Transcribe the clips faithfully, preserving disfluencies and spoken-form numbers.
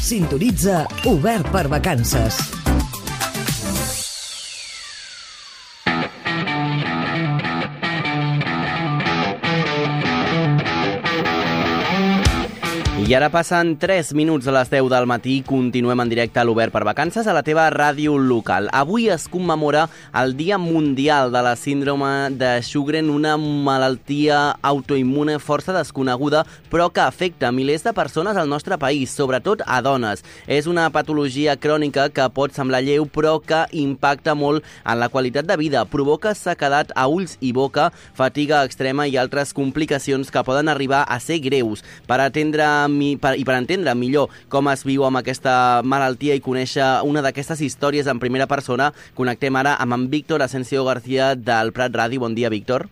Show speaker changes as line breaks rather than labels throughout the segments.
Sintonitza Obert per Vacances.
I ara passen tres minuts a les deu del matí i continuem en directe a l'Obert per Vacances a la teva ràdio local. Avui es commemora el Dia Mundial de la Síndrome de Sjögren, una malaltia autoimmune força desconeguda, però que afecta milers de persones al nostre país, sobretot a dones. És una patologia crònica que pot semblar lleu, però que impacta molt en la qualitat de vida. Provoca sequedat a ulls i boca, fatiga extrema i altres complicacions que poden arribar a ser greus. Per atendre i per entendre millor com es viu amb aquesta malaltia i conèixer una d'aquestes històries en primera persona, connectem ara amb en Víctor Asensio García del Prat Ràdio. Bon dia, Víctor.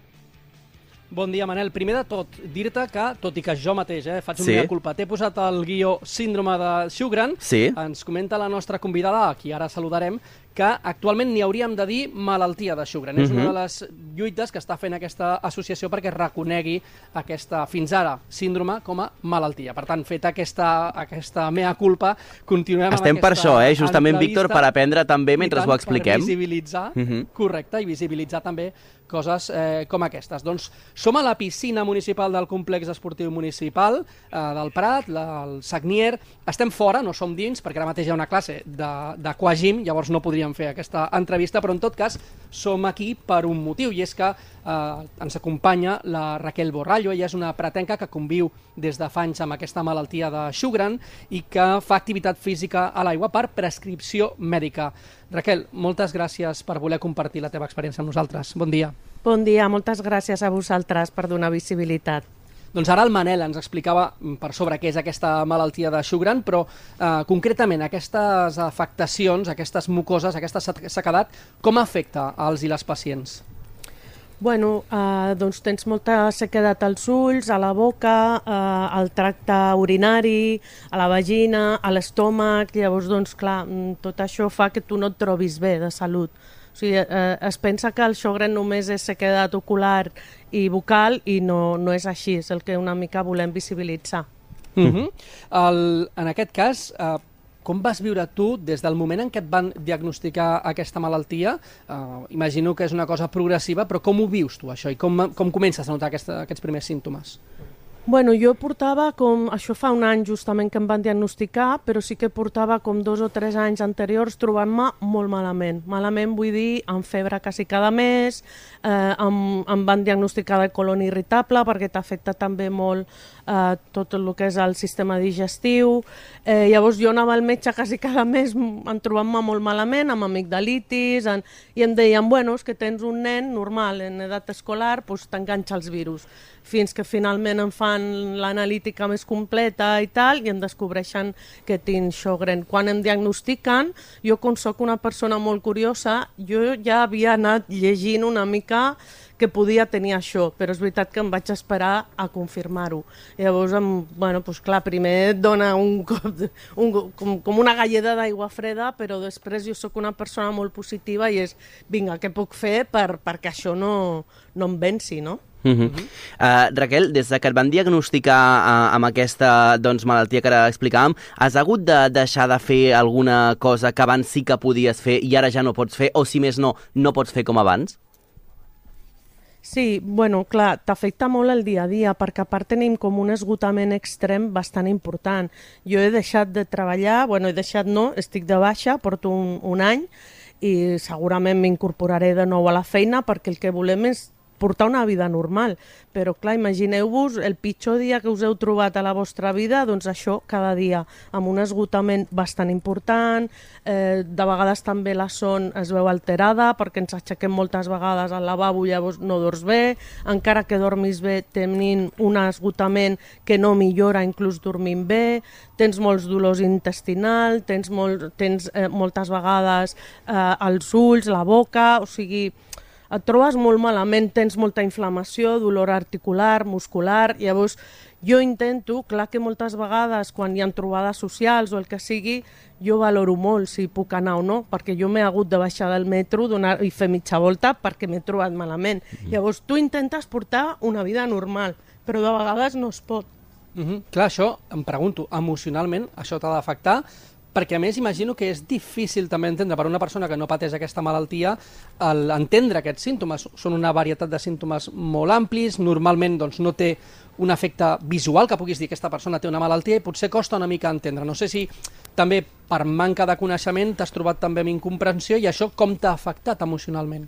Bon dia, Manel. Primer de tot, dir-te que, tot i que jo mateix eh, faig una
sí.
culpa, t'he posat el guió síndrome de Sjögren,
sí.
Ens comenta la nostra convidada, a qui ara saludarem, que actualment n'hi hauríem de dir malaltia de Sjögren. Uh-huh. És una de les lluites que està fent aquesta associació perquè reconegui aquesta, fins ara, síndrome com a malaltia. Per tant, feta aquesta, aquesta mea culpa, continuem
Estem
amb
per
aquesta
això, eh? Justament, Víctor, per aprendre també mentre
tant,
ho expliquem.
Per visibilitzar,
uh-huh.
correcte, i visibilitzar també coses eh, com aquestes. Doncs som a la piscina municipal del complex esportiu municipal eh, del Prat, la, el Sagnier. Estem fora, no som dins, perquè ara mateix hi ha una classe d'aquagym, llavors no podríem fer aquesta entrevista, però en tot cas som aquí per un motiu, i és que eh, ens acompanya la Raquel Borrallo. Ella és una pratenca que conviu des de fa anys amb aquesta malaltia de Sjögren i que fa activitat física a l'aigua per prescripció mèdica. Raquel, moltes gràcies per voler compartir la teva experiència amb nosaltres. Bon dia.
Bon dia, moltes gràcies a vosaltres per donar visibilitat.
Doncs ara el Manel ens explicava per sobre què és aquesta malaltia de Sjögren, però eh, concretament aquestes afectacions, aquestes mucoses, aquesta sequedat, com afecta als i les pacients?
Bueno, eh, doncs tens molta sequedat als ulls, a la boca, eh, al tracte urinari, a la vagina, a l'estómac. Llavors, doncs, clar, tot això fa que tu no et trobis bé de salut. O sigui, eh, es pensa que el Sjögren només és sequedat ocular i bucal i no, no és així, és el que una mica volem visibilitzar.
Uh-huh. el, en aquest cas, eh, com vas viure tu des del moment en què et van diagnosticar aquesta malaltia? Uh, imagino que és una cosa progressiva, però com ho vius tu, això? I com, com comences a notar aquesta, aquests primers símptomes?
Bueno, jo portava com... Això fa un any justament que em van diagnosticar, però sí que portava com dos o tres anys anteriors trobant-me molt malament. Malament vull dir, amb febre quasi cada mes, eh, em, em van diagnosticar de colon irritable perquè t'afecta també molt eh, tot el que és el sistema digestiu. Eh, llavors jo anava al metge quasi cada mes en trobant-me molt malament, amb amigdalitis, en, i em deien, bueno, és que tens un nen normal en edat escolar, doncs t'enganxa els virus. Fins que finalment em fan l'analítica més completa i tal, i em descobreixen que tinc Sjögren. Quan em diagnostiquen, jo com soc una persona molt curiosa, jo ja havia anat llegint una mica que podia tenir això, però és veritat que em vaig esperar a confirmar-ho. Llavors, em, bueno, doncs clar, primer et dona un cop, de, un, com, com una galleda d'aigua freda, però després jo sóc una persona molt positiva i és, vinga, què puc fer per, perquè això no, no em venci, no?
Uh -huh. uh, Raquel, des de que et van diagnosticar uh, amb aquesta doncs, malaltia que ara explicàvem, has hagut de deixar de fer alguna cosa que abans sí que podies fer i ara ja no pots fer, o si més no, no pots fer com abans?
Sí, bueno, clar, t'afecta molt el dia a dia, perquè a part tenim com un esgotament extrem bastant important. Jo he deixat de treballar, bueno, he deixat no, estic de baixa, porto un, un any, i segurament m'incorporaré de nou a la feina perquè el que volem és portar una vida normal, però clar, imagineu-vos el pitjor dia que us heu trobat a la vostra vida, doncs això cada dia, amb un esgotament bastant important, eh, de vegades també la son es veu alterada perquè ens aixequem moltes vegades al lavabo, llavors no dors bé, encara que dormis bé tenint un esgotament que no millora inclús dormint bé, tens molts dolors intestinals, tens, molt, tens eh, moltes vegades eh, els ulls, la boca, o sigui, et trobes molt malament, tens molta inflamació, dolor articular, muscular, llavors jo intento, clar que moltes vegades quan hi ha trobades socials o el que sigui, jo valoro molt si puc anar o no, perquè jo m'he hagut de baixar del metro donar, i fer mitja volta perquè m'he trobat malament. Mm-hmm. Llavors tu intentes portar una vida normal, però de vegades no es pot.
Mm-hmm. Clar, això em pregunto, emocionalment això t'ha d'afectar? Perquè a més imagino que és difícil també entendre per una persona que no pateix aquesta malaltia el entendre aquests símptomes. Són una varietat de símptomes molt amplis, normalment doncs, no té un efecte visual que puguis dir que aquesta persona té una malaltia i potser costa una mica entendre. No sé si també per manca de coneixement t'has trobat també amb incomprensió i això com t'ha afectat emocionalment?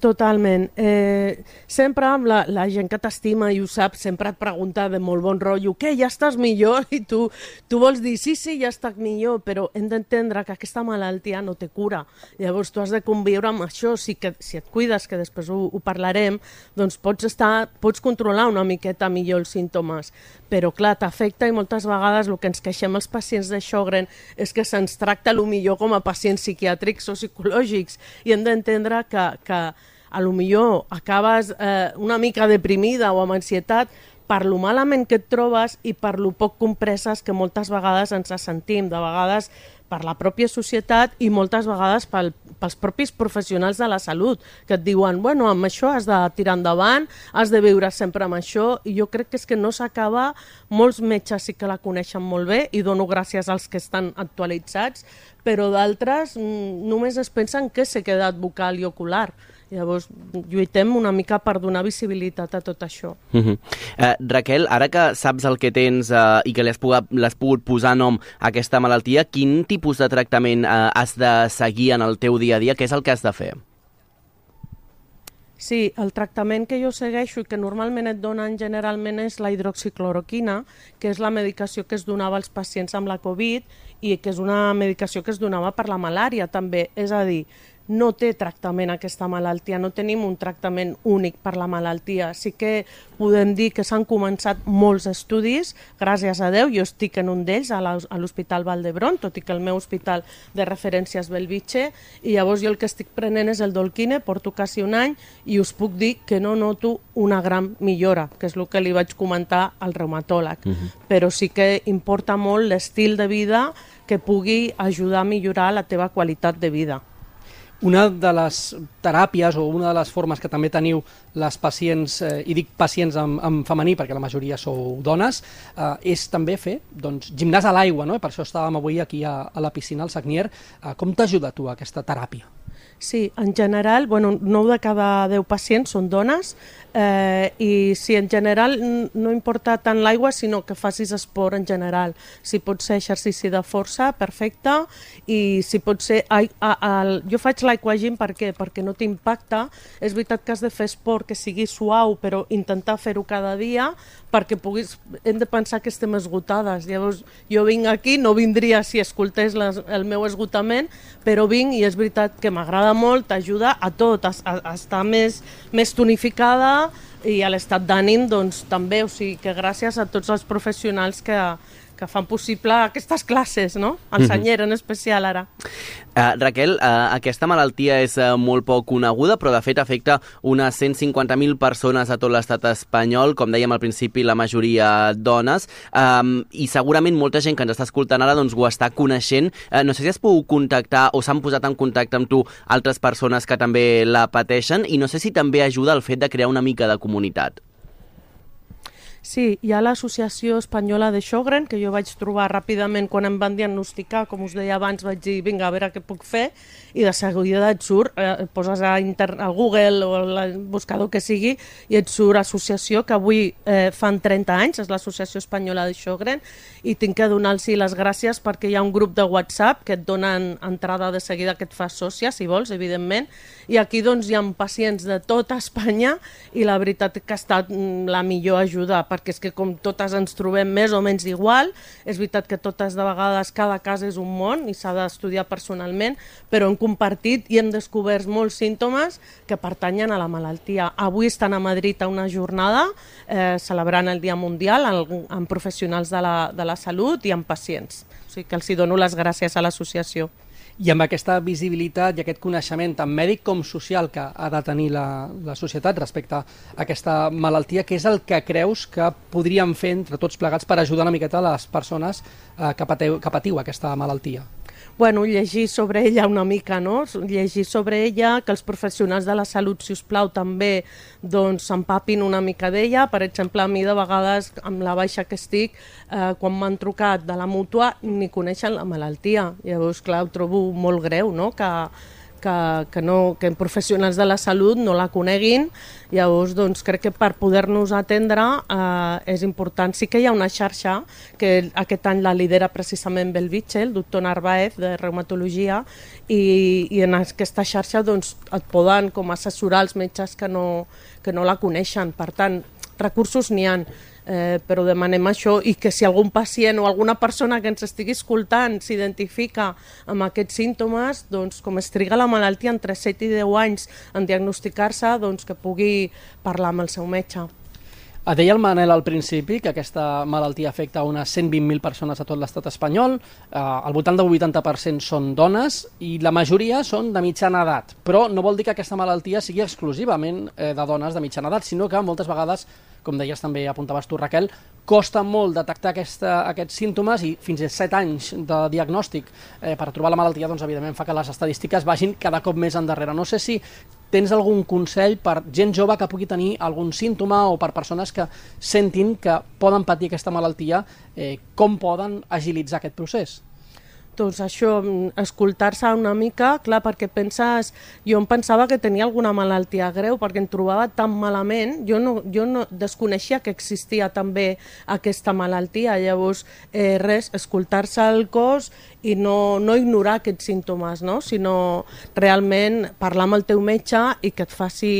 Totalment. Eh, sempre la, la gent que t'estima i ho sap, sempre et pregunta de molt bon rotllo, què, ja estàs millor? I tu, tu vols dir, sí, sí, ja estic millor, però hem d'entendre que aquesta malaltia no té cura. Llavors tu has de conviure amb això, si, que, si et cuides, que després ho, ho parlarem, doncs pots, estar, pots controlar una miqueta millor els símptomes. Però clar, t'afecta i moltes vegades el que ens queixem els pacients de Sjögren és que se'ns tracta a lo millor com a pacients psiquiàtrics o psicològics i hem d'entendre que, que a lo millor acabes eh, una mica deprimida o amb ansietat per lo malament que et trobes i per lo poc compreses que moltes vegades ens sentim, de vegades per la pròpia societat i moltes vegades pel, pels propis professionals de la salut, que et diuen, bueno, amb això has de tirar endavant, has de viure sempre amb això, i jo crec que és que no s'acaba, molts metges sí que la coneixen molt bé, i dono gràcies als que estan actualitzats, però d'altres només es pensen que s'ha quedat bucal i ocular. Llavors, lluitem una mica per donar visibilitat a tot això.
Uh-huh. eh, Raquel, ara que saps el que tens eh, i que li has pogut, l'has pogut posar nom a aquesta malaltia, quin tipus de tractament eh, has de seguir en el teu dia a dia? Què és el que has de fer?
Sí, el tractament que jo segueixo i que normalment et donen generalment és la hidroxicloroquina, que és la medicació que es donava als pacients amb la Covid i que és una medicació que es donava per la malària també. És a dir, no té tractament aquesta malaltia, no tenim un tractament únic per la malaltia. Sí que podem dir que s'han començat molts estudis, gràcies a Déu, jo estic en un d'ells a l'Hospital Vall d'Hebron, tot i que el meu hospital de referència és Bellvitge, i llavors jo el que estic prenent és el Dolquine, porto quasi un any, i us puc dir que no noto una gran millora, que és el que li vaig comentar al reumatòleg. Uh-huh. Però sí que importa molt l'estil de vida que pugui ajudar a millorar la teva qualitat de vida.
Una de les teràpies o una de les formes que també teniu les pacients, eh, i dic pacients en, en femení perquè la majoria sou dones, eh, és també fer doncs, gimnàs a l'aigua, no? I per això estàvem avui aquí a, a la piscina, al Sagnier. Eh, com t'ajuda tu aquesta teràpia?
Sí, en general, bueno, nou de cada deu pacients són dones eh, i si en general no importa tant l'aigua, sinó que facis esport en general. Si pot ser exercici de força, perfecte, i si pot ser... A, a, a, jo faig l'aquagym per què? Perquè no t'impacta. És veritat que has de fer esport que sigui suau, però intentar fer-ho cada dia perquè puguis... Hem de pensar que estem esgotades. Llavors, jo vinc aquí, no vindria si escoltés les, el meu esgotament, però vinc i és veritat que m'agrada molt, t'ajuda a tot, a, a estar més, més tonificada i a l'estat d'ànim doncs, també, o sigui que gràcies a tots els professionals que, que fan possible aquestes classes, no? El Sagnier en especial ara.
Uh, Raquel, uh, aquesta malaltia és uh, molt poc coneguda, però de fet afecta unes cent cinquanta mil persones a tot l'estat espanyol, com dèiem al principi, la majoria dones, um, i segurament molta gent que ens està escoltant ara doncs, ho està coneixent. Uh, no sé si has pogut contactar o s'han posat en contacte amb tu altres persones que també la pateixen, i no sé si també ajuda el fet de crear una mica de comunitat.
Sí, hi ha l'Associació Espanyola de Sjögren, que jo vaig trobar ràpidament quan em van diagnosticar, com us deia abans, vaig dir, vinga, a veure què puc fer, i de seguida et surt, eh, poses a, inter a Google o al buscador que sigui, i et surt associació, que avui eh, fan trenta anys, és l'Associació Espanyola de Sjögren, i tinc que donar-los les gràcies perquè hi ha un grup de WhatsApp que et donen entrada de seguida, que et fas sòcia, si vols, evidentment, i aquí doncs hi ha pacients de tota Espanya, i la veritat que ha estat la millor ajuda, perquè és que com totes ens trobem més o menys igual, és veritat que totes de vegades cada cas és un món i s'ha d'estudiar personalment, però hem compartit i hem descobert molts símptomes que pertanyen a la malaltia. Avui estan a Madrid a una jornada eh, celebrant el Dia Mundial amb professionals de la, de la salut i amb pacients. O sigui que els hi dono les gràcies a l'associació.
I amb aquesta visibilitat i aquest coneixement tant mèdic com social que ha de tenir la, la societat respecte a aquesta malaltia, què és el que creus que podríem fer entre tots plegats per ajudar una miqueta a les persones eh, que, pateu, que patiu aquesta malaltia?
Bueno, llegir sobre ella una mica, no? Llegir sobre ella, que els professionals de la salut, si us plau, també doncs s'empapin una mica d'ella. Per exemple, a mi de vegades, amb la baixa que estic, eh, quan m'han trucat de la mútua, ni coneixen la malaltia. Llavors, clar, ho trobo molt greu, no?, que que, que, no, que professionals de la salut no la coneguin. Llavors, doncs, crec que per poder-nos atendre eh, és important. Sí que hi ha una xarxa que aquest any la lidera precisament Belvitge, el doctor Narváez, de reumatologia, i, i en aquesta xarxa doncs, et poden com assessorar els metges que no, que no la coneixen. Per tant, recursos n'hi ha. Eh, però demanem això, i que si algun pacient o alguna persona que ens estigui escoltant s'identifica amb aquests símptomes, doncs com es triga la malaltia entre set i deu anys en diagnosticar-se, doncs que pugui parlar amb el seu metge.
Deia el Manel al principi que aquesta malaltia afecta unes cent vint mil persones a tot l'estat espanyol, eh, al voltant del vuitanta per cent són dones i la majoria són de mitjana edat, però no vol dir que aquesta malaltia sigui exclusivament eh, de dones de mitjana edat, sinó que moltes vegades, com deies també, apuntaves tu, Raquel, costa molt detectar aquesta, aquests símptomes, i fins a set anys de diagnòstic eh, per trobar la malaltia, doncs evidentment fa que les estadístiques vagin cada cop més endarrere. No sé si tens algun consell per gent jove que pugui tenir algun símptoma o per persones que sentin que poden patir aquesta malaltia, eh, com poden agilitzar aquest procés?
Doncs això, escoltar-se una mica, clar, perquè penses... Jo em pensava que tenia alguna malaltia greu perquè em trobava tan malament, jo no, jo no desconeixia que existia també aquesta malaltia. Llavors, eh, res, escoltar-se el cos i no, no ignorar aquests símptomes, no? Sinó realment parlar amb el teu metge i que et faci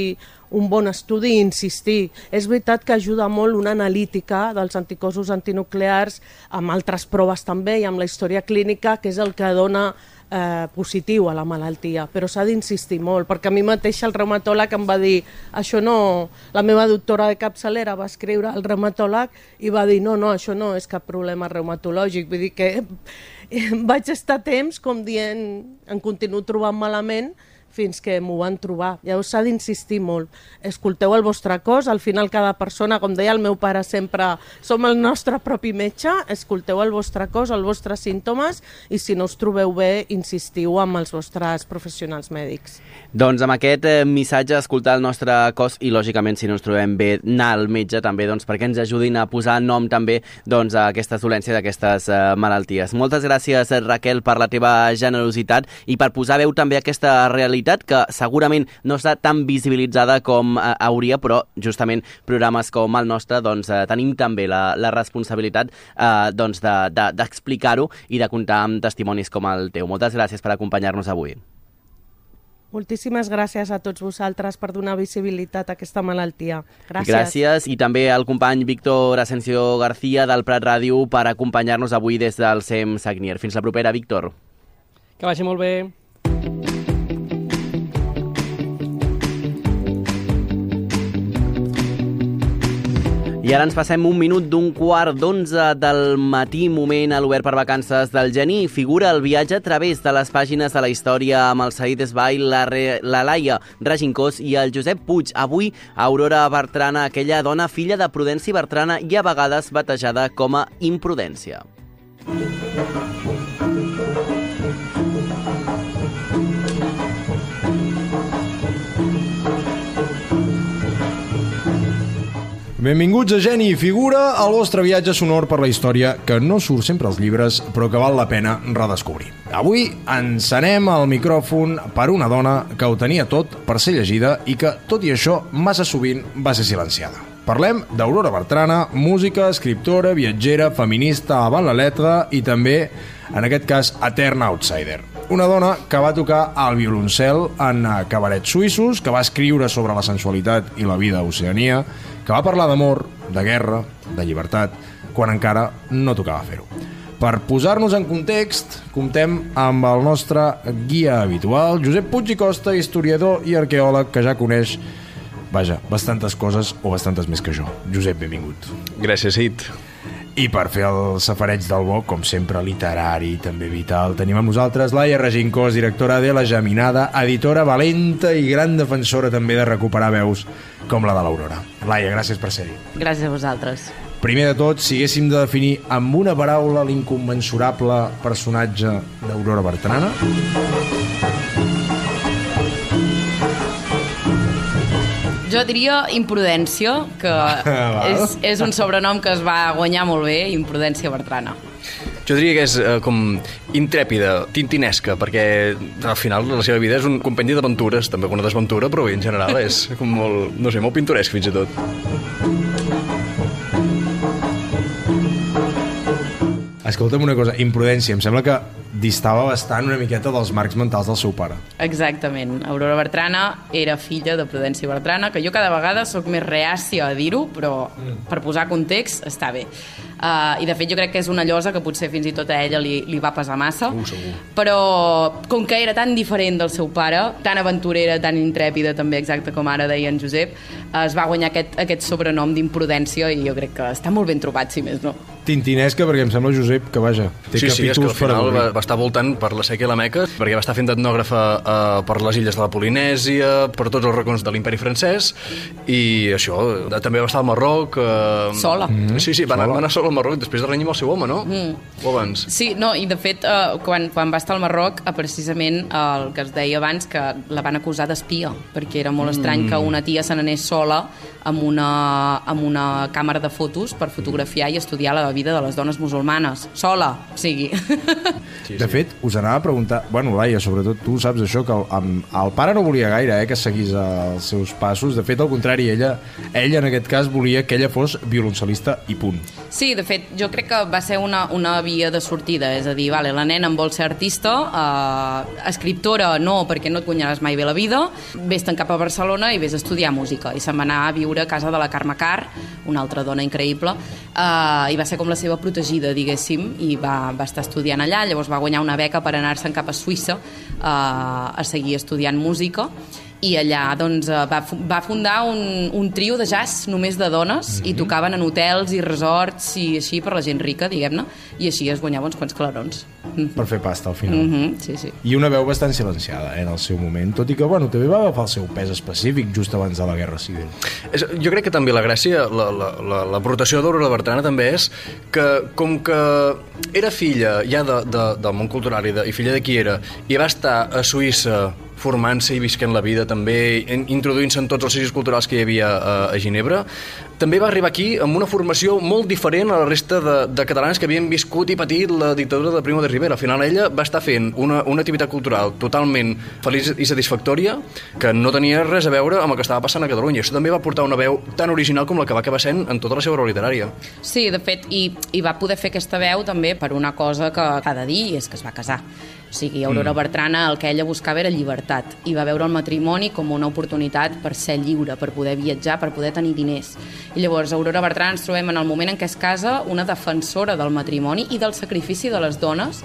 un bon estudi i insistir. És veritat que ajuda molt una analítica dels anticossos antinuclears amb altres proves també i amb la història clínica, que és el que dona eh, positiu a la malaltia, però s'ha d'insistir molt, perquè a mi mateixa el reumatòleg em va dir, això no, la meva doctora de capçalera va escriure al reumatòleg i va dir, no, no, això no és cap problema reumatològic, vull dir que vaig estar temps com dient, em continuo trobant malament, fins que m'ho van trobar. Llavors s'ha d'insistir molt. Escolteu el vostre cos, al final cada persona, com deia el meu pare sempre, som el nostre propi metge, escolteu el vostre cos, els vostres símptomes, i si no us trobeu bé, insistiu amb els vostres professionals mèdics.
Doncs amb aquest eh, missatge, escoltar el nostre cos i, lògicament, si no ens trobem bé, anar al metge també, doncs, perquè ens ajudin a posar nom també doncs, a aquestes dolències, a aquestes eh, malalties. Moltes gràcies, Raquel, per la teva generositat i per posar veu també aquesta realitat que segurament no està tan visibilitzada com eh, hauria, però justament programes com el nostre doncs, eh, tenim també la, la responsabilitat eh, doncs de, de, d'explicar-ho i de comptar amb testimonis com el teu. Moltes gràcies per acompanyar-nos avui.
Moltíssimes gràcies a tots vosaltres per donar visibilitat a aquesta malaltia. Gràcies.
Gràcies, i també al company Víctor Asensio García del Prat Ràdio per acompanyar-nos avui des del C E M Sagnier. Fins la propera, Víctor.
Que vagi molt bé.
I ara ens passem un minut d'un quart d'onze del matí, moment a l'Obert per Vacances del Geni. Figura el viatge a través de les pàgines de la història amb el Saïd Esbail, la, Re... la Laia Regincós i el Josep Puig. Avui, Aurora Bertrana, aquella dona filla de Prudenci Bertrana i a vegades batejada com a Imprudència.
Benvinguts a Geni i Figura, el vostre viatge sonor per la història que no surt sempre als llibres, però que val la pena redescobrir. Avui encenem el micròfon per una dona que ho tenia tot per ser llegida i que, tot i això, massa sovint va ser silenciada. Parlem d'Aurora Bertrana, música, escriptora, viatgera, feminista avant la letra i també, en aquest cas, eterna outsider. Una dona que va tocar el violoncel en cabarets suïssos, que va escriure sobre la sensualitat i la vida a Oceania, que va parlar d'amor, de guerra, de llibertat, quan encara no tocava fer-ho. Per posar-nos en context, comptem amb el nostre guia habitual, Josep Puig i Costa, historiador i arqueòleg que ja coneix, vaja, bastantes coses o bastantes més que jo. Josep, benvingut.
Gràcies, Id.
I per fer el safareig del bo, com sempre, literari, també vital, tenim amb nosaltres Laia Regincós, directora de La Geminada, editora valenta i gran defensora també de recuperar veus com la de l'Aurora. Laia, gràcies per ser-hi.
Gràcies a vosaltres.
Primer de tot, si haguéssim de definir amb una paraula l'incommensurable personatge d'Aurora Bertrana...
Jo diria imprudència, que és, és un sobrenom que es va guanyar molt bé, Imprudència Bertrana.
Jo diria que és eh, com intrèpida, tintinesca, perquè al final la seva vida és un compendi d'aventures, també alguna desventura, però bé, en general és com molt, no sé, molt pintoresc fins i tot.
Escolta'm una cosa, Imprudència, em sembla que distava bastant una miqueta dels marcs mentals del seu pare.
Exactament. Aurora Bertrana era filla de Prudència Bertrana, que jo cada vegada sóc més reàcia a dir-ho, però per posar context està bé. Uh, I de fet jo crec que és una llosa que potser fins i tot a ella li, li va pesar massa,
Uh, segur.
però com que era tan diferent del seu pare, tan aventurera, tan intrèpida també, exacte com ara deia en Josep, uh, es va guanyar aquest, aquest sobrenom d'imprudència i jo crec que està molt ben trobat, si més no.
Tintinesca, perquè em sembla, Josep, que vaja, té
Sí, sí, és que al
capítols per
final va,
avorrir.
va estar voltant per la Seca i la Meca, perquè va estar fent d'etnògrafa eh, per les illes de la Polinèsia, per tots els racons de l'imperi francès, i això, eh, també va estar al Marroc... Eh,
Sola.
Mm, sí, sí, va anar, va anar sola al Marroc després de renyir amb el seu home, no? Mm. O abans?
Sí, no, i de fet, eh, quan, quan va estar al Marroc, eh, precisament eh, el que es deia abans, que la van acusar d'espia, perquè era molt estrany que una tia se n'anés sola amb una, amb una càmera de fotos per fotografiar i estudiar la vida de les dones musulmanes. Sola, o sigui...
Sí, de fet, us anava a preguntar, bueno, Laia, sobretot tu saps això, que el, amb, el pare no volia gaire eh, que seguís els seus passos, de fet, al contrari, ella, ella en aquest cas volia que ella fos violoncel·lista i punt.
Sí, de fet, jo crec que va ser una, una via de sortida, és a dir, vale, la nena en vol ser artista, eh, escriptora no, perquè no et guanyaràs mai bé la vida, vés-te'n cap a Barcelona i vés a estudiar música, i se'n va anar a viure a casa de la Carme Carr, una altra dona increïble, eh, i va ser com la seva protegida, diguéssim, i va, va estar estudiant allà, llavors va guanyar una beca per anar-se'n cap a Suïssa eh, a seguir estudiant música, i allà doncs, va, va fundar un, un trio de jazz només de dones, mm-hmm. i tocaven en hotels i resorts i així per la gent rica, diguem-ne, i així es guanyava uns quants clarons.
Per fer pasta al final.
Mm-hmm, sí, sí.
I una veu bastant silenciada eh, en el seu moment, tot i que bueno, també va agafar el seu pes específic just abans de la Guerra Civil.
És, jo crec que també la gràcia, la, la, la, l'aportació d'Aurora Bertrana també és que com que era filla ja de, de, del món cultural i, de, i filla de qui era, i va estar a Suïssa formant-se i visquent la vida també, introduint-se en tots els sitios culturals que hi havia a, a Ginebra, també va arribar aquí amb una formació molt diferent a la resta de, de catalans que havien viscut i patit la dictadura de Primo de Rivera. Al final ella va estar fent una, una activitat cultural totalment feliç i satisfactòria que no tenia res a veure amb el que estava passant a Catalunya. Això també va portar una veu tan original com la que va acabar sent en tota la seva obra literària.
Sí, de fet, i, i va poder fer aquesta veu també per una cosa que ha de dir, és que es va casar. O sigui, Aurora mm. Bertrana el que ella buscava era llibertat i va veure el matrimoni com una oportunitat per ser lliure, per poder viatjar, per poder tenir diners. I llavors Aurora Bertrana ens trobem en el moment en què es casa una defensora del matrimoni i del sacrifici de les dones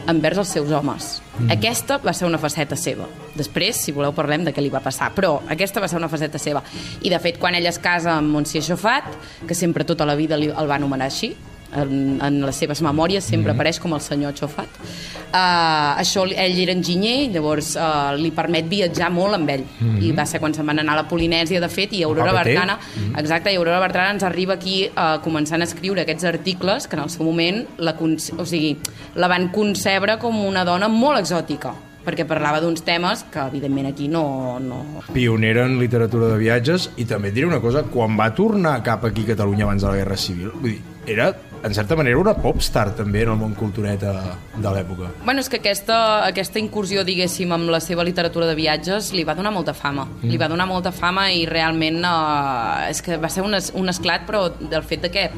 envers els seus homes. Mm. Aquesta va ser una faceta seva. Després, si voleu, parlem de què li va passar, però aquesta va ser una faceta seva. I de fet, quan ella es casa amb Monsieur Chauffat, que sempre tota la vida el va anomenar així, en, en les seves memòries sempre mm. apareix com el senyor Chauffat, uh, això, ell era enginyer, llavors uh, li permet viatjar molt amb ell, mm. i va ser quan se'n van anar a la Polinèsia, de fet, i Aurora Bertrana mm. exacte, i Aurora Bertrana ens arriba aquí uh, començant a escriure aquests articles que en el seu moment la, o sigui, la van concebre com una dona molt exòtica, perquè parlava d'uns temes que evidentment aquí no, no...
Pionera en literatura de viatges, i també et diré una cosa, quan va tornar cap aquí a Catalunya abans de la Guerra Civil, vull dir, era, en certa manera, una popstar també en el món cultureta de l'època.
Bueno, és que aquesta, aquesta incursió, diguéssim, amb la seva literatura de viatges li va donar molta fama. Mm. Li va donar molta fama i realment eh, és que va ser un, es, un esclat, però del fet de que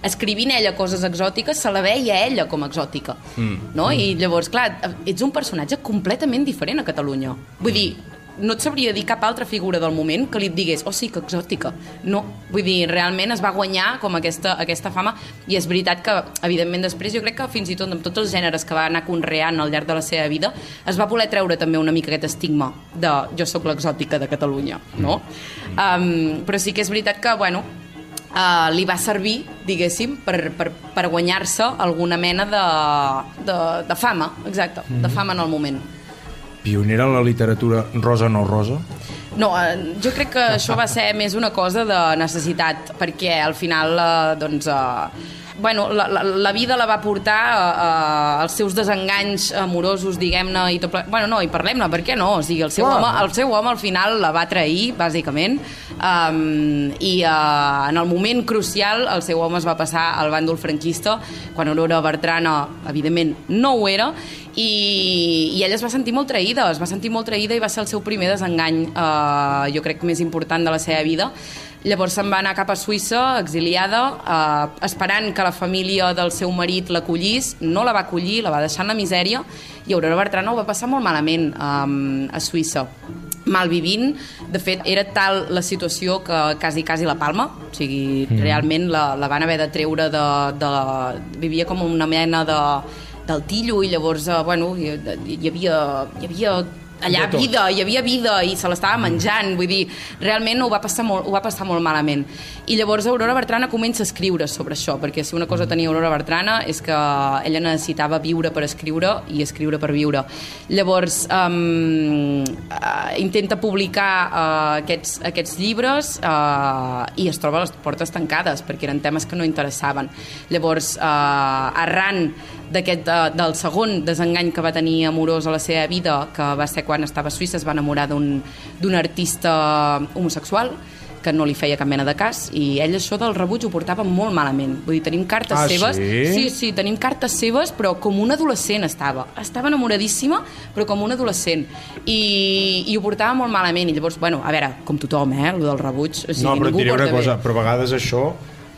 escrivint ella coses exòtiques se la veia ella com a exòtica, mm. no? I llavors, clar, ets un personatge completament diferent a Catalunya. Vull dir, no et sabria dir cap altra figura del moment que li et digués, oh sí, que exòtica. No, vull dir, realment es va guanyar com aquesta, aquesta fama, i és veritat que, evidentment, després jo crec que fins i tot amb tots els gèneres que va anar conreant al llarg de la seva vida, es va voler treure també una mica aquest estigma de jo sóc l'exòtica de Catalunya, no? Um, però sí que és veritat que, bueno, Uh, li va servir, diguéssim, per, per, per guanyar-se alguna mena de, de, de fama, exacte, mm-hmm. de fama en el moment.
Pionera en la literatura rosa no rosa?
No, jo crec que això va ser més una cosa de necessitat, perquè al final, eh, doncs... Eh, bueno, la, la, la vida la va portar uh, als seus desenganys amorosos, diguem-ne, i tot ple... Bueno, no, i parlem-ne, per què no? O sigui, el seu, home, el seu home al final la va trair, bàsicament, um, i uh, en el moment crucial el seu home es va passar al bàndol franquista, quan Aurora Bertrana, evidentment, no ho era, i, i ella es va sentir molt traïda, es va sentir molt traïda i va ser el seu primer desengany, uh, jo crec, més important de la seva vida. Llavors se'n va anar cap a Suïssa, exiliada, eh, esperant que la família del seu marit l'acollís. No la va acollir, la va deixar en la misèria, i Aurora Bertrana ho va passar molt malament eh, a Suïssa, malvivint. De fet, era tal la situació que quasi, quasi la palma, o sigui, mm. realment la, la van haver de treure de, de... Vivia com una mena de, del tillo, i llavors, eh, bueno, hi, hi havia... Hi havia allà vida, hi havia vida i se l'estava menjant, vull dir, realment ho va passar molt, ho va passar molt malament. I llavors Aurora Bertrana comença a escriure sobre això, perquè si una cosa tenia Aurora Bertrana és que ella necessitava viure per escriure i escriure per viure. Llavors um, uh, intenta publicar uh, aquests, aquests llibres uh, i es troba a les portes tancades perquè eren temes que no interessaven. Llavors, uh, arran d'aquest, uh, del segon desengany que va tenir amorós a la seva vida, que va ser quan estava a Suïssa, es va enamorar d'un d'un artista homosexual que no li feia cap mena de cas, i ell això del rebuig ho portava molt malament. Vull dir, tenim cartes
ah,
seves...
Sí?
sí, sí, tenim cartes seves, però com una adolescent estava. Estava enamoradíssima, però com una adolescent. I, i ho portava molt malament. I llavors, bueno, a veure, com tothom, eh, el del rebuig... O sigui,
no, però et diré una
bé.
cosa, però a vegades això...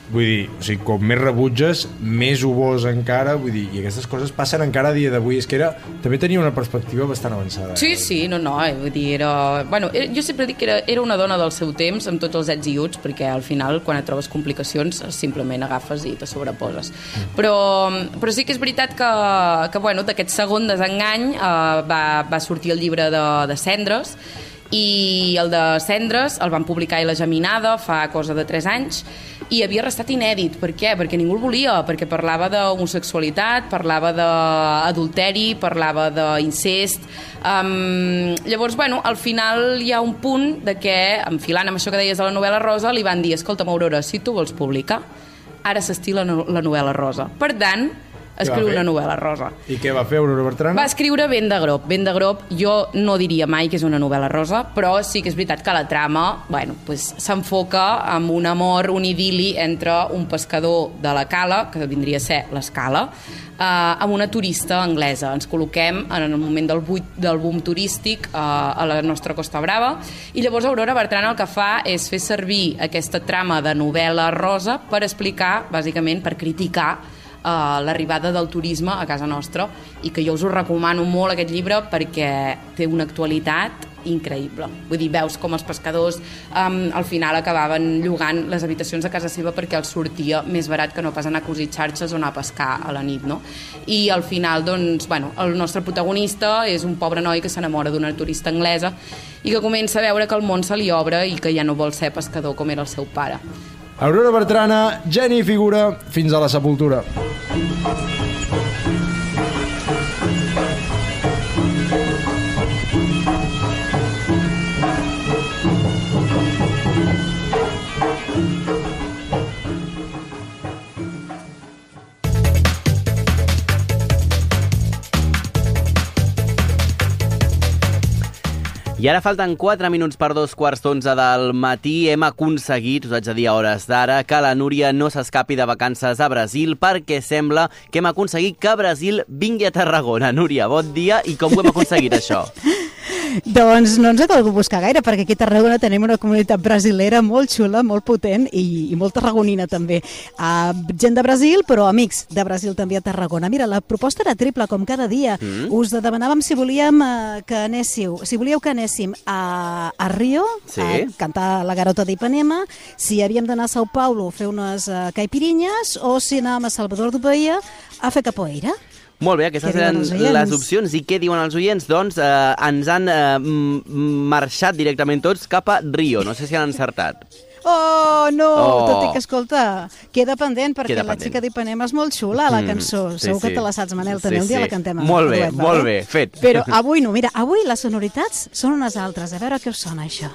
Vull dir, o sigui, com més rebutges, més ho vols encara, vull dir, i aquestes coses passen encara a dia d'avui. És que era, també tenia una perspectiva bastant avançada.
Sí, eh? sí, no, no, eh, vull dir, era... Bueno, era, jo sempre dic que era, era una dona del seu temps, amb tots els ets i uts, perquè al final, quan et trobes complicacions, simplement agafes i te sobreposes. Mm. Però, però sí que és veritat que, que bueno, d'aquest segon desengany eh, va, va sortir el llibre de, de Cendres, i el de Cendres el van publicar a La Geminada fa cosa de tres anys, i havia restat inèdit. Per què? Perquè ningú el volia, perquè parlava d'homosexualitat, parlava d'adulteri, parlava d'incest. Um, llavors, bueno, al final hi ha un punt de que, enfilant amb això que deies de la novel·la rosa, li van dir, escolta'm, Aurora, si tu vols publicar, ara s'estila la novel·la rosa. Per tant, escriu una novel·la rosa.
I què va fer Aurora Bertrana?
Va escriure Vent de Grop. Vent de Grop jo no diria mai que és una novel·la rosa, però sí que és veritat que la trama, bueno, pues, s'enfoca amb un amor, un idili entre un pescador de la Cala, que vindria a ser l'Escala, eh, amb una turista anglesa. Ens col·loquem en el moment del, buit, del boom turístic eh, a la nostra Costa Brava, i llavors Aurora Bertrana el que fa és fer servir aquesta trama de novel·la rosa per explicar, bàsicament, per criticar Uh, l'arribada del turisme a casa nostra, i que jo us ho recomano molt, aquest llibre, perquè té una actualitat increïble. Vull dir, veus com els pescadors um, al final acabaven llogant les habitacions a casa seva perquè els sortia més barat que no pas anar a cosir xarxes o anar a pescar a la nit, no? I al final, doncs, bueno, el nostre protagonista és un pobre noi que s'enamora d'una turista anglesa i que comença a veure que el món se li obre i que ja no vol ser pescador com era el seu pare.
Aurora Bertrana, geni i figura, fins a la sepultura.
I ara falten quatre minuts per dos quarts d'onze del matí. Hem aconseguit, us haig de dir a hores d'ara, que la Núria no s'escapi de vacances a Brasil, perquè sembla que hem aconseguit que Brasil vingui a Tarragona. Núria, bon dia, i com ho hem aconseguit, això?
Doncs no ens ha calgut buscar gaire, perquè aquí a Tarragona tenim una comunitat brasilera molt xula, molt potent i, i molt tarragonina també. Uh, gent de Brasil, però amics de Brasil també a Tarragona. Mira, la proposta era triple, com cada dia. Mm. Us demanàvem si volíem uh, que anéssiu, si volíeu que anéssim a, a Rio, sí, a cantar la Garota d'Ipanema, si havíem d'anar a São Paulo a fer unes uh, caipirinhas, o si anàvem a Salvador de Bahia a fer capoeira.
Molt bé, aquestes eren les opcions. I què diuen els oients? Doncs eh, ens han eh, marxat directament tots cap a Rio. No sé si han encertat.
Oh, no!
Oh.
Tot i que, escolta, queda pendent, perquè
Queda
la
pendent.
xica d'Ipanema és molt xula, la
Mm,
cançó.
sí,
Segur que
sí.
te la saps, Manel, també
Sí,
un dia
sí.
la cantem.
Molt bé,
duet,
molt
vale?
bé, fet.
Però avui no, mira, avui les sonoritats són unes altres. A veure què us sona, això.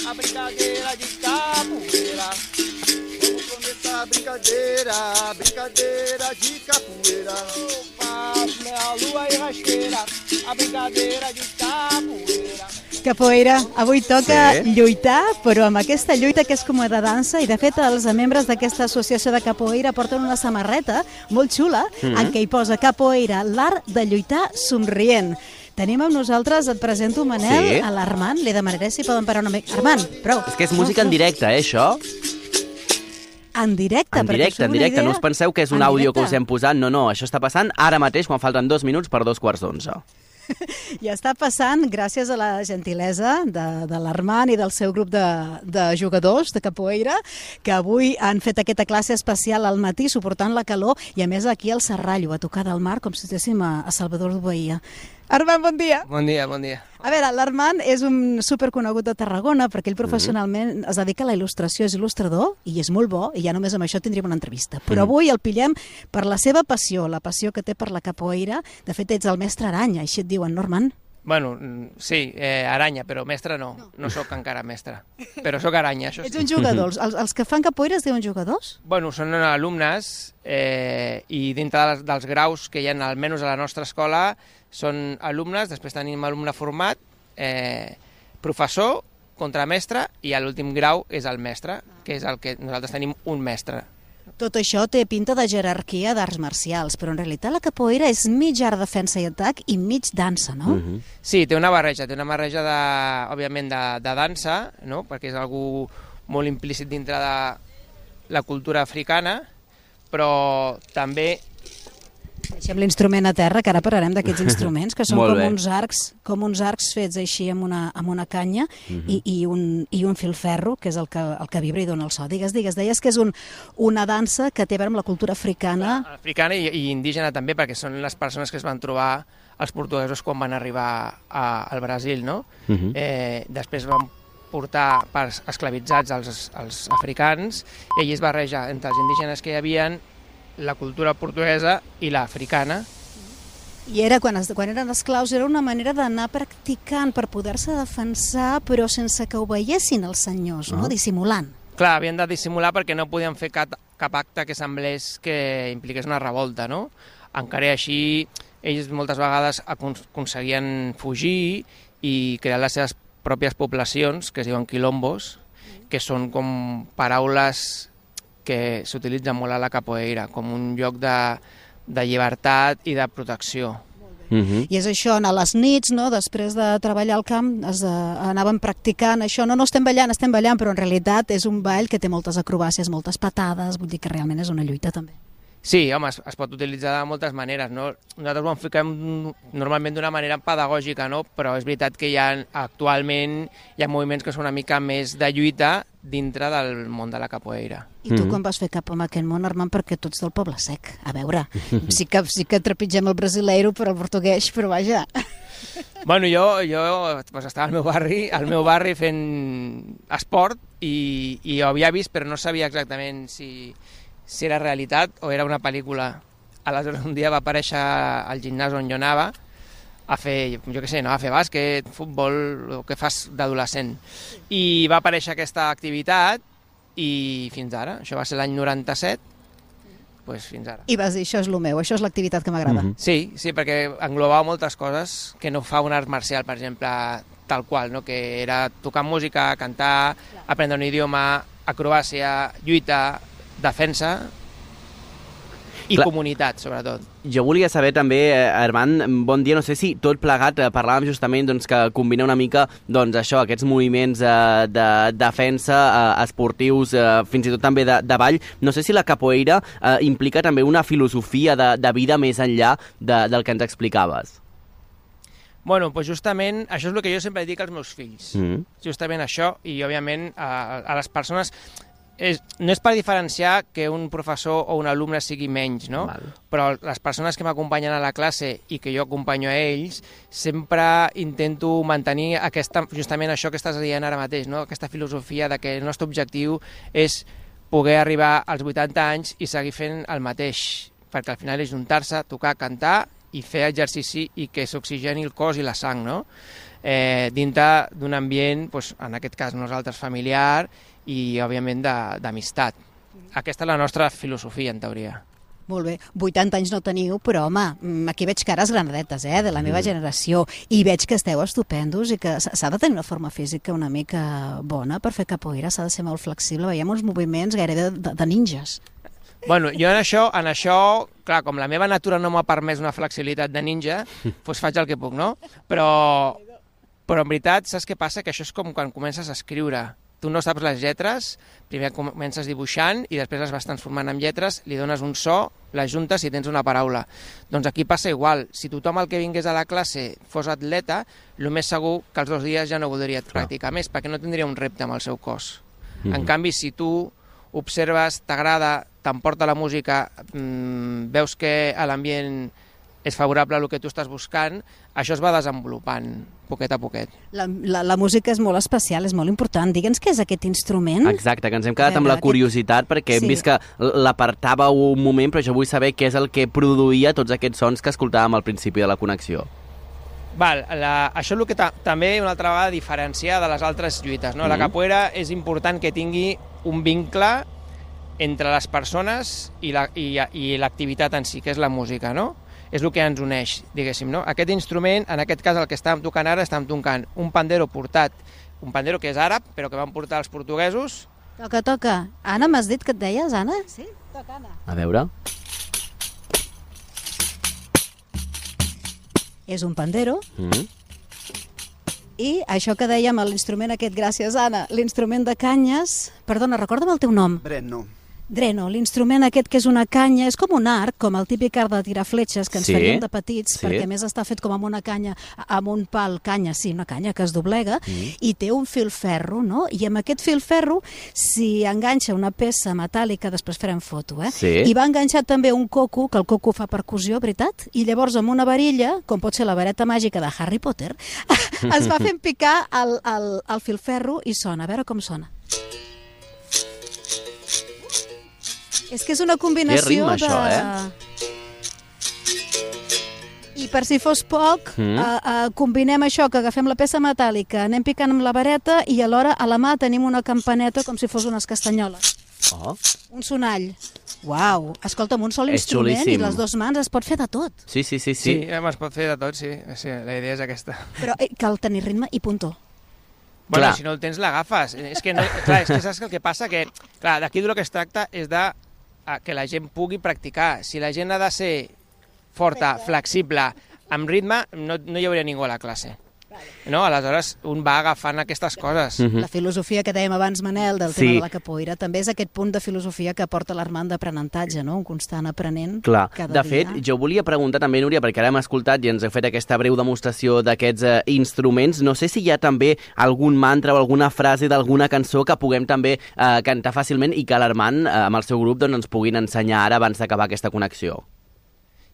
A brincadeira de capoeira. Vamos começar a brincadeira, a brincadeira de capoeira. A lua e rasteira, a brincadeira de capoeira.
Capoeira, avui toca
Sí.
lluitar, però amb aquesta lluita que és com de dansa, i de fet els membres d'aquesta associació de capoeira porten una samarreta molt xula
Mhm.
en què hi posa capoeira, l'art de lluitar somrient. Tenim amb nosaltres, et presento, Manel,
Sí.
a l'Armand, li demanaré si poden parar una mica. Armand, prou.
És que és música en directe, eh, això?
En directe,
En
perquè
directe,
us
en
feu una
directe.
idea?
No us penseu que és un
En
àudio que
directe.
us hem posat. No, no, això està passant ara mateix, quan falten dos minuts per dos quarts d'onze.
I està passant gràcies a la gentilesa de, de l'Armand i del seu grup de, de jugadors de capoeira, que avui han fet aquesta classe especial al matí, suportant la calor, i a més aquí al Serrallo, a tocar del mar, com si estéssim a, a Salvador de Bahia. Armand, bon dia!
Bon dia, bon dia.
A veure, l'Armand és un superconegut de Tarragona perquè ell professionalment es dedica a la il·lustració, és il·lustrador i és molt bo, i ja només amb això tindríem una entrevista. Però avui el pillem per la seva passió, la passió que té per la capoeira. De fet, ets el mestre Aranya, així et diuen, no, Armand?
Bueno, mm, sí, eh, aranya, però mestre no. No sóc encara mestre. Però sóc aranya, això
Ets
sí.
un jugador. Els, els que fan capoeira es diuen jugadors?
Bueno, són alumnes eh, i dintre dels, dels graus que hi ha, almenys a la nostra escola, són alumnes, després tenim alumne format, eh, professor, contramestre, i a l'últim grau és el mestre, que és el que nosaltres tenim un mestre.
Tot això té pinta de jerarquia d'arts marcials, però en realitat la capoeira és mig art, defensa i atac i mig dansa, no?
Mm -hmm.
Sí, té una barreja, té una barreja, de, òbviament, de, de dansa, no? Perquè és algú molt implícit dintre de la cultura africana, però també...
Deixem l'instrument a terra, que ara parlarem d'aquests instruments, que són
Molt
com
bé.
uns arcs, com uns arcs fets així amb una, amb una canya
Mhm.
i, i, un, i un filferro, que és el que, el que vibra i dona el so. Digues, digues, deies que és un, una dansa que té a veure amb la cultura africana.
Africana i, i indígena també, perquè són les persones que es van trobar els portuguesos quan van arribar a, al Brasil, no?
Mhm.
eh, després van portar parts esclavitzats als, als africans i allí es barreja entre els indígenes que hi havien, la cultura portuguesa i l'africana.
I era, quan, es, quan eren esclaus, era una manera d'anar practicant per poder-se defensar, però sense que ho veiessin els senyors, no?
Ah.
Dissimulant.
Clar, havien de dissimular perquè no podien fer cap, cap acte que semblés que impliqués una revolta, no? Encara i així, ells moltes vegades acon- aconseguien fugir i crear les seves pròpies poblacions, que es diuen quilombos, que són com paraules que s'utilitzen molt a la capoeira, com un lloc de, de llibertat i de protecció.
Mm -hmm.
I és això, a les nits, no? Després de treballar al camp, es, uh, anàvem practicant això. No, no estem ballant, estem ballant, però en realitat és un ball que té moltes acrobàcies, moltes patades, vull dir que realment és una lluita també.
Sí, home, es, es pot utilitzar de moltes maneres, no? Nosaltres ho enfoquem normalment d'una manera pedagògica, no? Però és veritat que hi ha, actualment hi ha moviments que són una mica més de lluita dintre del món de la capoeira.
I tu quan vas fer cap amb aquest món, Armand, perquè tu ets del Poble Sec? A veure, sí que, sí que trepitgem el brasileiro per el portuguès, però vaja.
Bueno, jo, jo pues, estava al meu barri, al meu barri fent esport i, i ho havia vist, però no sabia exactament si, si era realitat o era una pel·lícula. Aleshores, un dia va aparèixer al gimnàs on jo anava a fer, jo què sé, no, a fer bàsquet, futbol, el que fas d'adolescent. I va aparèixer aquesta activitat i fins ara, això va ser l'any noranta-set, pues fins ara.
I vas dir, això és el meu, això és l'activitat que m'agrada.
Mhm.
Sí, sí, perquè englobava moltes coses que no fa un art marcial, per exemple, tal qual, no? Que era tocar música, cantar, aprendre un idioma, acrobàcia, lluita, defensa i
Clar.
comunitat, sobretot.
Jo volia saber també, eh, Armand, bon dia, no sé si tot plegat, eh, parlàvem justament doncs, que combina una mica doncs, això, aquests moviments eh, de defensa eh, esportius, eh, fins i tot també de, de ball. No sé si la capoeira eh, implica també una filosofia de, de vida més enllà de, del que ens explicaves.
Bueno, doncs justament això és el que jo sempre dic als meus fills.
Mm.
Justament això, i òbviament a, a les persones... és, no és per diferenciar que un professor o un alumne sigui menys, no?
Val.
Però les persones que m'acompanyen a la classe i que jo acompanyo a ells, sempre intento mantenir aquesta, justament això que estàs dient ara mateix, no? Aquesta filosofia de que el nostre objectiu és poder arribar als vuitanta anys i seguir fent el mateix, perquè al final és juntar-se, tocar, cantar i fer exercici i que s'oxigeni el cos i la sang, no? Eh, dintre d'un ambient, doncs, en aquest cas nosaltres familiar i òbviament d'amistat. Aquesta és la nostra filosofia, en teoria.
Molt bé, vuitanta anys no teniu, però home, aquí veig cares granadetes, eh, de la meva generació, i veig que esteu estupendos i que s'ha de tenir una forma física una mica bona per fer capoeira, s'ha de ser molt flexible, veiem uns moviments gairebé de, de ninjas.
Bueno, jo en això, en això, clar, com la meva natura no m'ha permès una flexibilitat de ninja, doncs faig el que puc, no? Però, però en veritat, saps què passa? Que això és com quan comences a escriure. Tu no saps les lletres, primer comences dibuixant i després les vas transformant en lletres, li dones un so, les juntes i tens una paraula. Doncs aquí passa igual. Si tothom el que vingués a la classe fos atleta, el més segur que els dos dies ja no voldria practicar més, perquè no tindria un repte amb el seu cos. Mm-hmm. En canvi, si tu observes, t'agrada, t'emporta la música, mmm, veus que l'ambient és favorable a el que tu estàs buscant, això es va desenvolupant poquet a poquet.
La, la, la música és molt especial, és molt important. Digue'ns què és aquest instrument.
Exacte, que ens hem quedat amb la curiositat perquè hem
Sí.
vist que l'apartava un moment, però jo vull saber què és el que produïa tots aquests sons que escoltàvem al principi de la connexió.
Val, la, això és el que ta, també una altra vegada diferencia de les altres lluites. No? Mm-hmm. La capoeira és important que tingui un vincle entre les persones i la, i, i l'activitat en si, que és la música, no? És el que ens uneix, diguéssim, no? Aquest instrument, en aquest cas el que estàvem tocant ara, estàvem tocant un pandero portat, un pandero que és àrab, però que van portar els portuguesos.
Toca, toca. Anna, m'has dit que et deies, Anna? Sí, toca, Anna.
A veure...
És un pandero.
Mm.
I això que dèiem, l'instrument aquest, gràcies, Anna, l'instrument de canyes... Perdona, recorda'm el teu nom.
Brenno.
Dreno, l'instrument aquest que és una canya, és com un arc, com el típic arc de tirar fletxes que ens
Sí,
faríem de petits,
sí.
perquè a més està fet com amb una canya, amb un pal, canya, sí, una canya que es doblega,
Mm.
i té un filferro, no? I amb aquest filferro s'hi enganxa una peça metàl·lica, després farem foto, eh?
Sí.
I va enganxat també un coco, que el coco fa percussió, veritat? I llavors amb una varilla, com pot ser la vareta màgica de Harry Potter, es va fent picar el, el, el filferro i sona, a veure com sona. És que és una combinació
Que ritme,
de...
això, eh?
I per si fos poc,
Mm.
eh, eh, combinem això, que agafem la peça metàl·lica, anem picant amb la vareta i alhora a la mà tenim una campaneta com si fos unes castanyoles.
Oh.
Un sonall. Uau! Escolta'm, un sol
És
instrument
xulíssim.
i les dues mans es pot fer de tot.
Sí, sí, sí,
Sí,
sí.
eh, es pot fer de tot, sí. sí. La idea és aquesta.
Però eh, cal tenir ritme i puntó.
Bueno,
Clar.
si no el tens, l'agafes. És que, no, clar, és que saps que el que passa? Que, clar, d'aquí del que es tracta és de a que la gent pugui practicar. Si la gent ha de ser forta, flexible, amb ritme, no, no hi hauria ningú a la classe. No? Aleshores, un va agafant aquestes coses.
Mhm.
La filosofia que dèiem abans, Manel, del
Sí.
tema de la capoeira, també és aquest punt de filosofia que porta l'Armand d'aprenentatge, no? Un constant aprenent
Clar,
cada
de
dia.
fet, jo volia preguntar també, Núria, perquè ara hem escoltat i ens heu fet aquesta breu demostració d'aquests eh, instruments. No sé si hi ha també algun mantra o alguna frase d'alguna cançó que puguem també eh, cantar fàcilment i que l'Armand, eh, amb el seu grup, doncs, ens puguin ensenyar ara abans d'acabar aquesta connexió.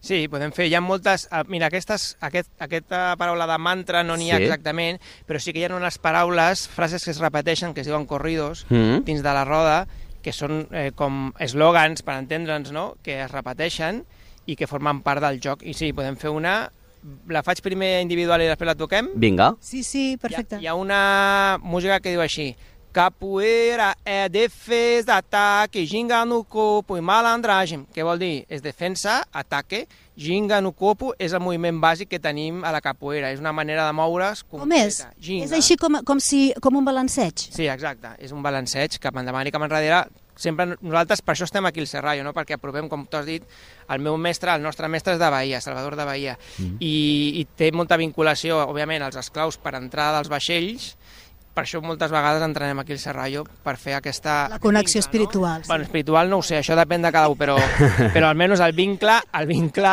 Sí, podem fer. Hi ha moltes... Uh, mira, aquestes, aquest, aquesta paraula de mantra no n'hi ha
Sí.
exactament, però sí que hi ha unes paraules, frases que es repeteixen, que es diuen corridos,
Mm.
dins de la roda, que són eh, com eslògans, per entendre'ns, no?, que es repeteixen i que formen part del joc. I sí, podem fer una... La faig primer individual i després la toquem?
Vinga.
Sí, sí, perfecte.
Hi ha, hi ha una música que diu així: capoeira é defesa, ataque, ginga no corpo i malandragem. Què vol dir? És defensa, ataque, ginga no corpo, és el moviment bàsic que tenim a la capoeira. És una manera de moure's
Com és?
concreta. Ginga.
És així com, com, si, com un balanceig.
Sí, exacte. És un balanceig cap endavant i cap enrere. Sempre nosaltres per això estem aquí al Serrallo, no? Perquè aprovem, com tu has dit, el meu mestre, el nostre mestre és de Bahia, Salvador de Bahia, mm. I, i té molta vinculació, òbviament, als esclaus per entrar dels vaixells. Per això moltes vegades entrenem aquí al Serrallo per fer aquesta...
La connexió
vincle,
espiritual.
No?
Sí.
Bueno, espiritual no ho sé, això depèn de cada un, però, però almenys el vincle, el vincle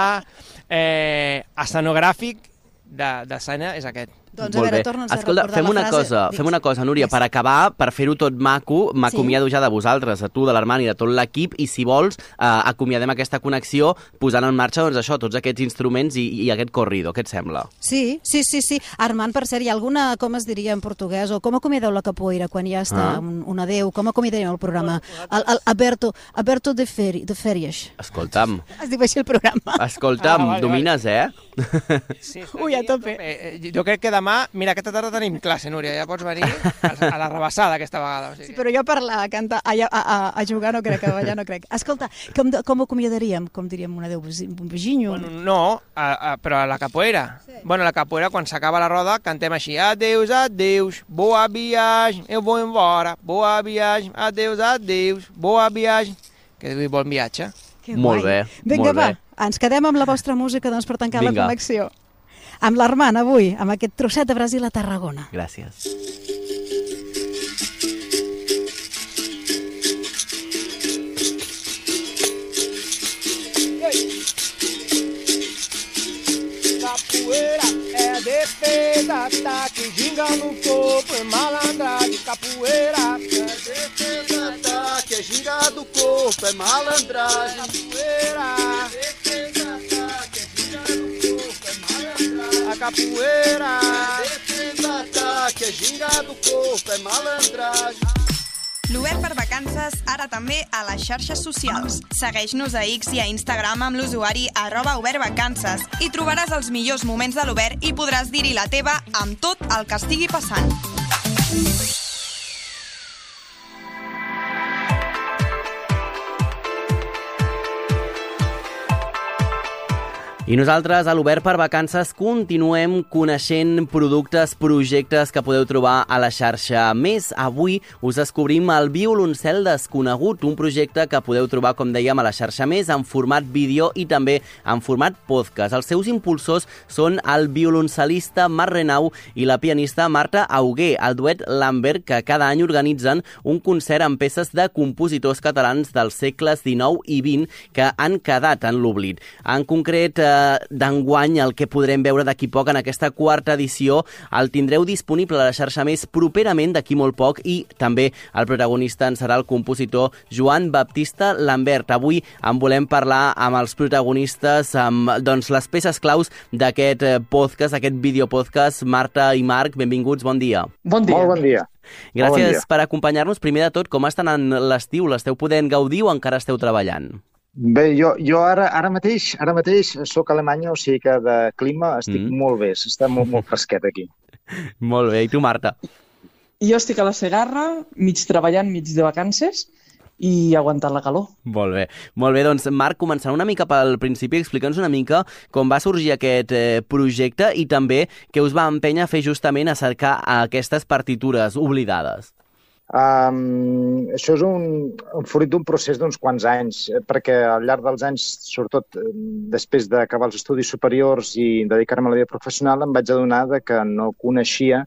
eh, escenogràfic de, de escena és aquest.
Doncs a veure, torna'ns a
Escolta,
recordar
fem
la
una
frase.
cosa, fem una cosa, Núria, per acabar, per fer-ho tot maco, m'acomiado ja de vosaltres, a tu, de l'Armand i de tot l'equip, i si vols, eh, acomiadem aquesta connexió posant en marxa, doncs això, tots aquests instruments i, i aquest corrido, què et sembla?
Sí, sí, sí, sí. Armand, per cert, hi ha alguna, com es diria en portuguès, o com acomiadeu la capoeira quan ja està
Ah.
un, un adeu? Com acomiadarem el programa? El, el Aberto, Aberto de, feri, de fèries.
Escolta'm,
Es diu així el programa.
escolta'm,
Ah, vale,
domines, eh?
Sí,
Ui, a tope.
Eh, jo crec que demà, mira, aquesta tarda tenim classe, Núria, ja pots venir a la rebassada aquesta vegada. O sigui.
Sí, però jo parlar, a cantar, a, a, a, a jugar no crec, a ballar no crec. Escolta, com, com acomiadaríem? Com diríem un adeu? Un beginho?
Bueno, no, a, a, però a la capoeira. Sí. Bueno, a la capoeira, quan s'acaba la roda, cantem així: adeus, adeus, boa viagem, eu vou embora, boa viagem, adeus, adeus, boa viagem. Que diu bon viatge.
Que
Molt
guai.
bé,
Vinga,
molt
va,
bé.
ens quedem amb la vostra música doncs, per tancar
Vinga.
la connexió. Amb l'Armand, avui, amb aquest trosset de Brasil a Tarragona.
Gràcies.
Capoeira é defesa, ataque, ginga no corpo, é malandragem. Capoeira é defesa, ataque, é ginga do corpo, é malandragem. Capoeira é defesa, ataque, é ginga do corpo, é malandragem. A capoeira é defesa, ataque, é ginga do corpo, é malandragem.
L'Obert per Vacances, ara també a les xarxes socials. Segueix-nos a X i a Instagram amb l'usuari arroba obertvacances i trobaràs els millors moments de l'Obert i podràs dir-hi la teva amb tot el que estigui passant.
I nosaltres, a l'Obert per Vacances, continuem coneixent productes, projectes que podeu trobar a la xarxa. A més, avui us descobrim el Violoncel Desconegut, un projecte que podeu trobar, com dèiem, a la xarxa Més, en format vídeo i també en format podcast. Els seus impulsors són el violoncelista Marc Renau i la pianista Marta Augué, el duet Lambert, que cada any organitzen un concert amb peces de compositors catalans dels segles dinou i vint que han quedat en l'oblit. En concret, eh, d'enguany, el que podrem veure d'aquí poc en aquesta quarta edició, el tindreu disponible a la xarxa Més properament d'aquí molt poc i també el protagonista en serà el compositor Joan Baptista Lambert. Avui en volem parlar amb els protagonistes, amb doncs, les peces claus d'aquest podcast, aquest videopodcast. Marta i Marc, benvinguts, bon dia.
Bon dia. Molt bon dia.
Gràcies
bon dia.
per acompanyar-nos. Primer de tot, com està anant l'estiu? L'esteu podent gaudir o encara esteu treballant?
Bé, jo, jo ara, ara mateix ara mateix soc a Alemanya, o sigui que de clima estic mm. molt bé, està molt, molt fresquet aquí.
Molt bé, i tu, Marta?
Jo estic a la Segarra, mig treballant, mig de vacances, i aguantant la calor.
Molt bé, molt bé, doncs Marc, començant una mica pel principi, explica'ns una mica com va sorgir aquest eh, projecte i també què us va empènyer a fer justament a cercar aquestes partitures oblidades.
Um, això és un, un fruit d'un procés d'uns quants anys, perquè al llarg dels anys, sobretot després d'acabar els estudis superiors i dedicar-me a la vida professional, em vaig adonar de que no coneixia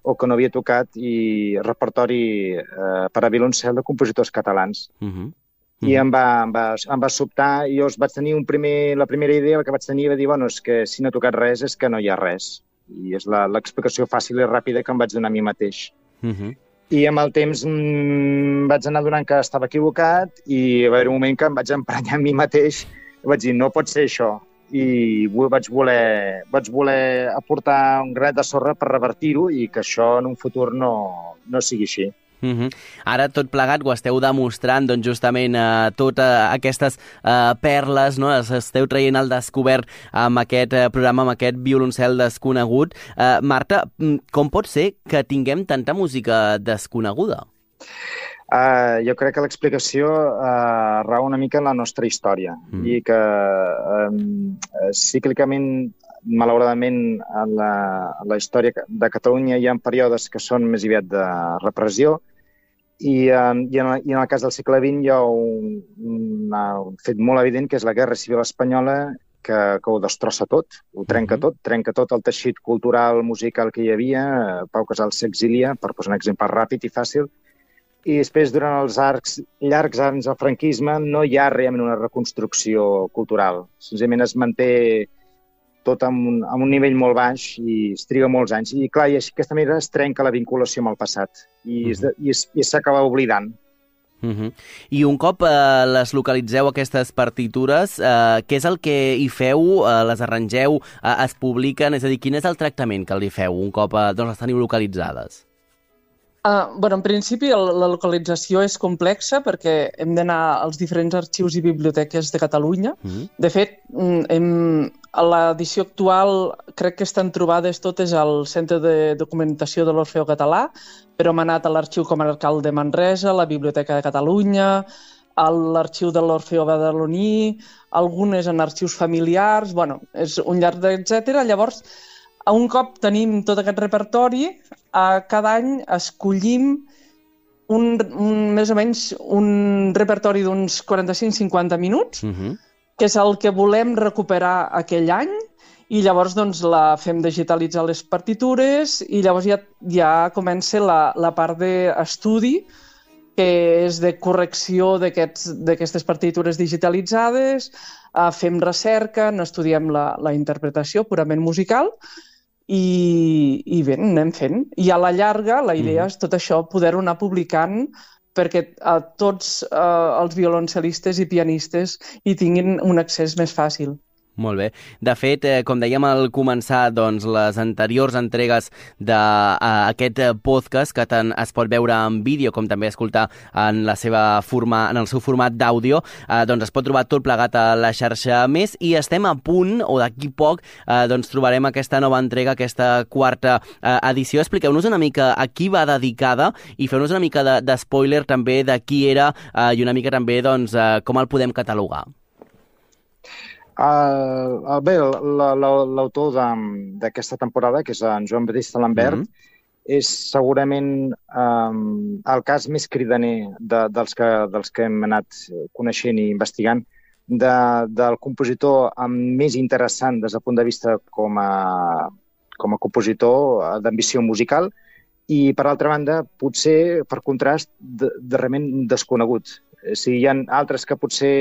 o que no havia tocat i repertori eh, per a violoncel de compositors catalans. Uh -huh. Uh -huh. I em va, em, va, em va sobtar, i jo vaig tenir un primer, la primera idea que vaig tenir va dir, bueno, és que si no he tocat res és que no hi ha res. I és l'explicació fàcil i ràpida que em vaig donar a mi mateix. Uh -huh. I amb el temps mmm, vaig anar donant que estava equivocat i va haver un moment que em vaig emprenyar a mi mateix i vaig dir, no pot ser això. I vaig voler, vaig voler aportar un granet de sorra per revertir-ho i que això en un futur no, no sigui així.
Uh-huh. Ara tot plegat ho esteu demostrant, doncs justament eh, totes aquestes eh, perles, no? Les esteu traient al descobert amb aquest eh, programa, amb aquest violoncel desconegut. Eh, Marta, com pot ser que tinguem tanta música desconeguda?
Uh, jo crec que l'explicació uh, rau una mica en la nostra història mm. i que um, cíclicament, malauradament, en la, en la història de Catalunya hi ha períodes que són més aviat de repressió i, um, i, en, i en el cas del segle vint hi ha un, un, un fet molt evident que és la Guerra Civil Espanyola que, que ho destrossa tot, ho trenca mm-hmm. tot, trenca tot el teixit cultural, musical que hi havia. Pau Casals s'exilia, per posar un exemple ràpid i fàcil, i després, durant els arcs, llargs anys del franquisme, no hi ha realment una reconstrucció cultural. Senzillament es manté tot amb un, amb un nivell molt baix i es triga molts anys. I clar, i d'aquesta manera es trenca la vinculació amb el passat i, uh -huh. es, i s'acaba oblidant.
Uh -huh. I un cop eh, les localitzeu, aquestes partitures, eh, què és el que hi feu? Eh, les arrangeu? Eh, es publiquen? És a dir, quin és el tractament que li feu un cop eh, doncs les teniu localitzades?
Uh, bueno, en principi el, la localització és complexa perquè hem d'anar als diferents arxius i biblioteques de Catalunya. Mm. De fet, hem, a l'edició actual crec que estan trobades totes al Centre de Documentació de l'Orfeó Català, però hem anat a l'Arxiu Comarcal de Manresa, a la Biblioteca de Catalunya, a l'Arxiu de l'Orfeó Badaloní, algunes en arxius familiars, bueno, és un llarg d'etcètera. Llavors, a un cop tenim tot aquest repertori, a cada any escollim un, un, més o menys un repertori d'uns quaranta-cinc a cinquanta minuts, uh-huh. que és el que volem recuperar aquell any, i llavors doncs, la fem digitalitzar les partitures i llavors ja, ja comença la, la part d'estudi, que és de correcció d'aquestes partitures digitalitzades, uh, fem recerca, n'estudiem la, la interpretació purament musical, I, i bé, anem fent. I a la llarga la idea mm. és tot això poder-ho anar publicant perquè a tots eh, els violoncel·listes i pianistes hi tinguin un accés més fàcil.
Molt bé. De fet, eh, com dèiem al començar, doncs, les anteriors entregues d'aquest uh, podcast, que tant es pot veure en vídeo com també escoltar en, la seva forma, en el seu format d'àudio, eh, doncs es pot trobar tot plegat a la xarxa Més i estem a punt, o d'aquí poc, eh, doncs trobarem aquesta nova entrega, aquesta quarta eh, edició. Expliqueu-nos una mica a qui va dedicada i feu-nos una mica de, de spoiler també de qui era eh, i una mica també doncs, eh, com el podem catalogar.
Uh, bé, l'autor d'aquesta temporada, que és en Joan Batista Lambert, mm-hmm. és segurament um, el cas més cridaner de, dels, que, dels que hem anat coneixent i investigant, de, del compositor més interessant des del punt de vista com a, com a compositor d'ambició musical i, per altra banda, potser, per contrast, de, de realment desconegut. O sigui, hi ha altres que potser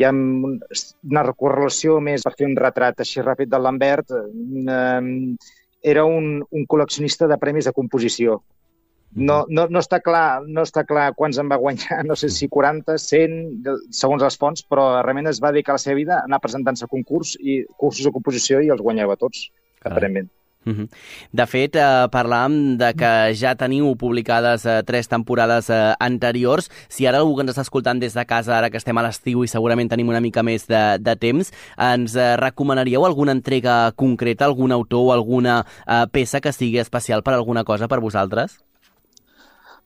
hi ha una correlació més per fer un retrat així ràpid del Lambert. Eh, era un, un col·leccionista de premis de composició. No, no, no, està clar, no està clar quants en va guanyar, no sé si quaranta, cent, segons les fonts, però realment es va dedicar la seva vida a anar presentant-se a concurs i cursos de composició i els guanyava tots, aparentment.
Uh-huh. De fet, eh, parlàvem de que ja teniu publicades eh, tres temporades eh, anteriors. Si ara algú que ens està escoltant des de casa, ara que estem a l'estiu i segurament tenim una mica més de, de temps, ens eh, recomanaríeu alguna entrega concreta, algun autor o alguna eh, peça que sigui especial per alguna cosa per vosaltres?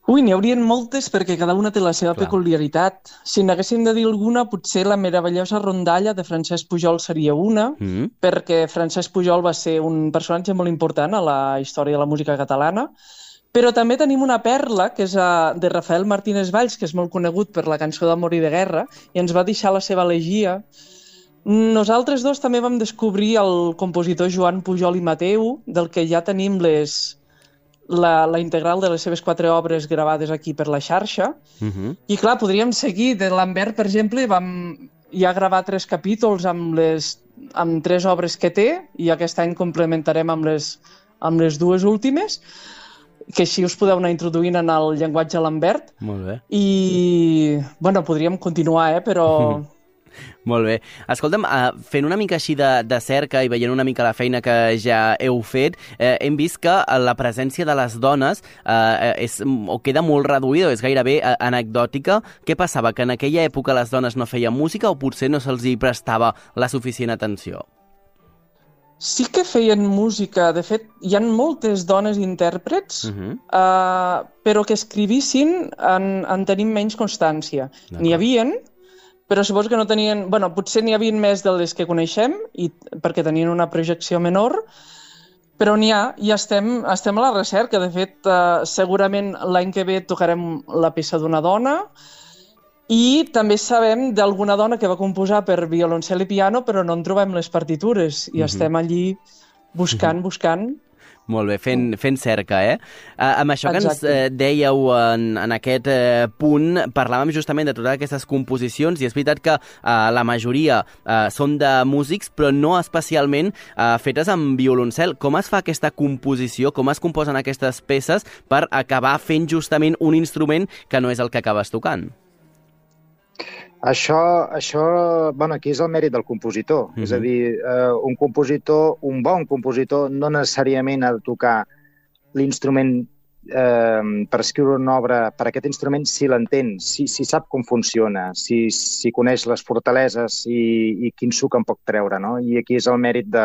Ui, n'hi haurien moltes perquè cada una té la seva Clar. peculiaritat. Si n'haguéssim de dir alguna, potser la meravellosa rondalla de Francesc Pujol seria una, mm. perquè Francesc Pujol va ser un personatge molt important a la història de la música catalana. Però també tenim una perla, que és de Rafael Martínez Valls, que és molt conegut per la cançó d'Amor i de Guerra, i ens va deixar la seva elegia. Nosaltres dos també vam descobrir el compositor Joan Pujol i Mateu, del que ja tenim les... La, la integral de les seves quatre obres gravades aquí per la xarxa. Uh-huh. I clar, podríem seguir. De Lambert, per exemple, vam ja gravar tres capítols amb les amb tres obres que té i aquest any complementarem amb les, amb les dues últimes, que així us podeu anar introduint en el llenguatge Lambert.
Molt bé.
I, bueno, podríem continuar, eh, però... Uh-huh.
Molt bé. Escolta'm, uh, fent una mica així de, de cerca i veient una mica la feina que ja heu fet, eh, hem vist que la presència de les dones eh, és, o queda molt reduïda, o és gairebé eh, anecdòtica. Què passava? Que en aquella època les dones no feien música o potser no se'ls hi prestava la suficient atenció?
Sí que feien música. De fet, hi ha moltes dones intèrprets, uh-huh. uh, però que escrivissin en, en tenim menys constància. N'hi havien... però suposo que no tenien... Bueno, potser n'hi havia més de les que coneixem, i, perquè tenien una projecció menor, però n'hi ha, i estem, estem a la recerca. De fet, eh, segurament l'any que ve tocarem la peça d'una dona, i també sabem d'alguna dona que va composar per violoncel i piano, però no en trobem les partitures, i mm-hmm. estem allí buscant, mm-hmm. buscant...
Molt bé, fent, fent cerca, eh? Uh, amb això que ens uh, dèieu en, en aquest uh, punt, parlàvem justament de totes aquestes composicions i és veritat que uh, la majoria uh, són de músics, però no especialment uh, fetes amb violoncel. Com es fa aquesta composició? Com es composen aquestes peces per acabar fent justament un instrument que no és el que acabes tocant?
Això, això, bueno, aquí és el mèrit del compositor. Mm-hmm. És a dir, eh, un compositor, un bon compositor, no necessàriament ha de tocar l'instrument eh, per escriure una obra per aquest instrument si l'entén, si, si sap com funciona, si, si coneix les fortaleses i, i quin suc en pot treure, no? I aquí és el mèrit de,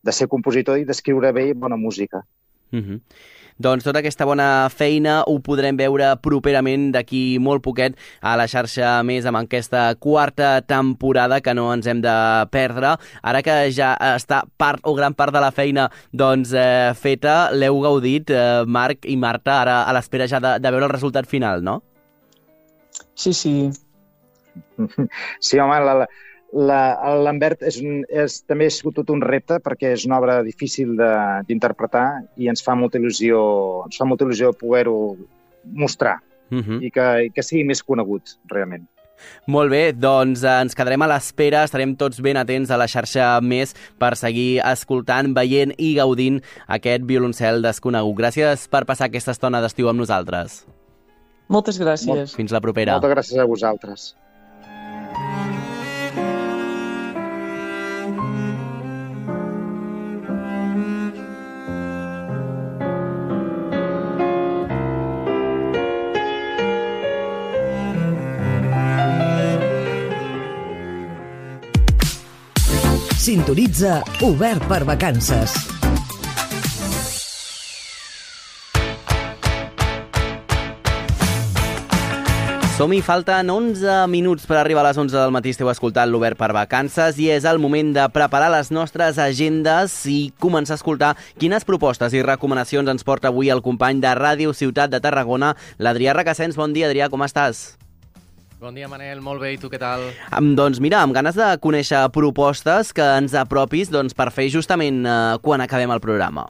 de ser compositor i d'escriure bé bona música.
Mm-hmm. Doncs tota aquesta bona feina ho podrem veure properament d'aquí molt poquet a la xarxa Més amb aquesta quarta temporada que no ens hem de perdre. Ara que ja està part o gran part de la feina doncs, eh, feta, l'heu gaudit, eh, Marc i Marta, ara a l'espera ja de, de veure el resultat final, no?
Sí, sí.
Sí, home, la... L'Ambert és, un, és, també ha sigut tot un repte perquè és una obra difícil d'interpretar i ens fa molta il·lusió, ens fa molta il·lusió poder-ho mostrar uh-huh. i, que, i que sigui més conegut, realment.
Molt bé, doncs ens quedarem a l'espera, estarem tots ben atents a la xarxa Més per seguir escoltant, veient i gaudint aquest violoncel desconegut. Gràcies per passar aquesta estona d'estiu amb nosaltres.
Moltes gràcies. Molt,
fins la propera.
Moltes gràcies a vosaltres.
Sintonitza Obert per Vacances.
Som-hi, falten onze minuts per arribar a les onze del matí. Esteu escoltant l'Obert per Vacances i és el moment de preparar les nostres agendes i començar a escoltar quines propostes i recomanacions ens porta avui el company de Ràdio Ciutat de Tarragona, l'Adrià Requesens. Bon dia, Adrià, com estàs?
Bon dia, Manel. Molt bé. I tu què tal?
Um, doncs mira, amb ganes de conèixer propostes que ens apropis doncs, per fer justament uh, quan acabem el programa.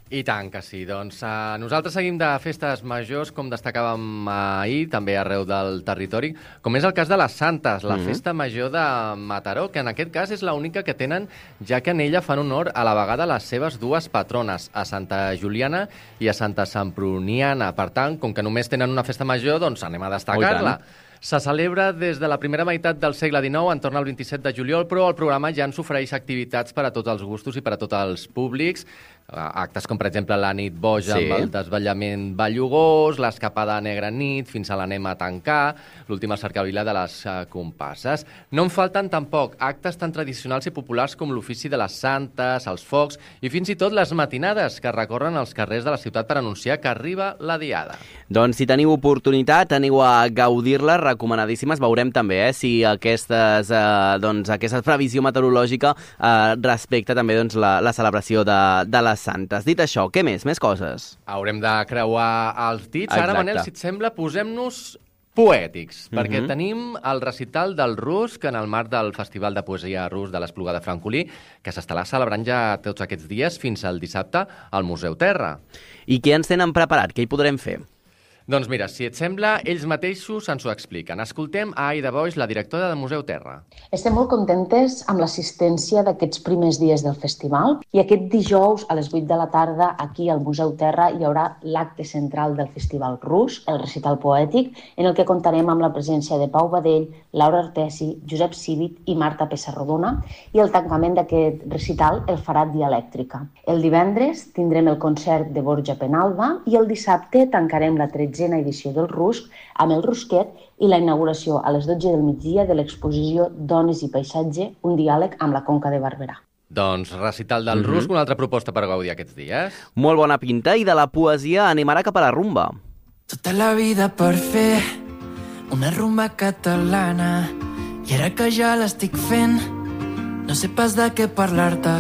I tant que sí. Doncs uh, nosaltres seguim de festes majors, com destacàvem ahir, també arreu del territori, com és el cas de les Santes, la mm-hmm. festa major de Mataró, que en aquest cas és l'única que tenen, ja que en ella fan honor a la vegada les seves dues patrones, a Santa Juliana i a Santa Semproniana. Per tant, com que només tenen una festa major, doncs anem a destacar-la. Se celebra des de la primera meitat del segle dinou, entorn al vint-i-set de juliol, però el programa ja ens ofereix activitats per a tots els gustos i per a tots els públics. Actes com, per exemple, la nit boja sí. amb el desvetllament ballugós, l'escapada negra nit, fins a l'anem a tancar, l'última cercavila de les uh, compasses. No en falten tampoc actes tan tradicionals i populars com l'ofici de les santes, els focs i fins i tot les matinades que recorren els carrers de la ciutat per anunciar que arriba la diada.
Doncs si teniu oportunitat, aneu a gaudir-la, recomanadíssimes. Veurem també eh, si aquestes, eh, doncs, aquesta previsió meteorològica eh, respecta també doncs, la, la celebració de, de les Santes. Dit això, què més? Més coses?
Haurem de creuar els dits. Exacte. Ara, Manel, si et sembla, posem-nos poètics, mm-hmm. perquè tenim el recital del Rus, que en el marc del Festival de Poesia Rus de l'Espluga de Francolí, que s'estarà celebrant ja tots aquests dies fins al dissabte al Museu Terra.
I què ens tenen preparat? Què hi podrem fer?
Doncs mira, si et sembla, ells mateixos ens ho expliquen. Escoltem a Aida Boix, la directora del Museu Terra.
Estem molt contentes amb l'assistència d'aquests primers dies del festival i aquest dijous a les vuit de la tarda aquí al Museu Terra hi haurà l'acte central del Festival Rus, el recital poètic, en el que comptarem amb la presència de Pau Badell, Laura Artesi, Josep Civit i Marta Pessarrodona i el tancament d'aquest recital el farà Dialèctrica. El divendres tindrem el concert de Borja Penalba i el dissabte tancarem la tretzena edició del Rusc amb el Rusquet i la inauguració a les dotze del migdia de l'exposició Dones i Paisatge, un diàleg amb la Conca de Barberà.
Doncs recital del mm-hmm. Rusc, una altra proposta per gaudir aquests dies.
Molt bona pinta, i de la poesia anem ara cap a la rumba.
Tota la vida per fer una rumba catalana i ara que ja l'estic fent no sé pas de què parlar-te.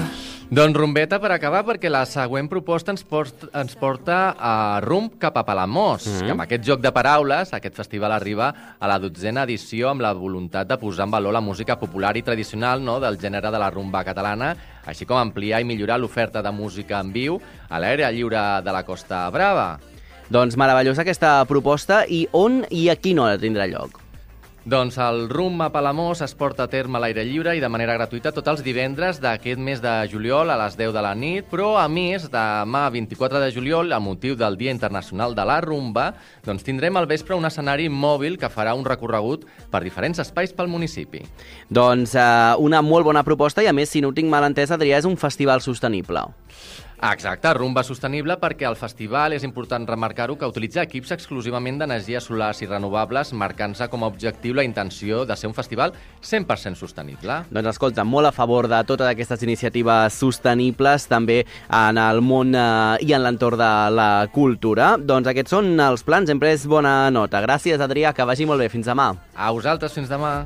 Doncs rumbeta per acabar, perquè la següent proposta ens, post, ens porta a rumb cap a Palamós, mm -hmm. que amb aquest joc de paraules, aquest festival arriba a la dotzena edició amb la voluntat de posar en valor la música popular i tradicional, no?, del gènere de la rumba catalana, així com ampliar i millorar l'oferta de música en viu a l'aire lliure de la Costa Brava.
Doncs meravellosa aquesta proposta. I on i a quina hora tindrà lloc?
Doncs el rumb a Palamós es porta a terme a l'aire lliure i de manera gratuïta tots els divendres d'aquest mes de juliol a les deu de la nit, però a més, demà vint-i-quatre de juliol, a motiu del Dia Internacional de la Rumba, doncs tindrem al vespre un escenari mòbil que farà un recorregut per diferents espais pel municipi.
Doncs eh, una molt bona proposta i, a més, si no ho tinc mal entès, Adrià, és un festival sostenible.
Exacte, rumba sostenible, perquè el festival, és important remarcar-ho, que utilitza equips exclusivament d'energies solars i renovables, marcant-se com a objectiu la intenció de ser un festival cent per cent sostenible.
Doncs escolta, molt a favor de totes aquestes iniciatives sostenibles, també en el món eh, i en l'entorn de la cultura. Doncs aquests són els plans, hem pres bona nota. Gràcies, Adrià, que vagi molt bé. Fins demà.
A vosaltres, fins demà.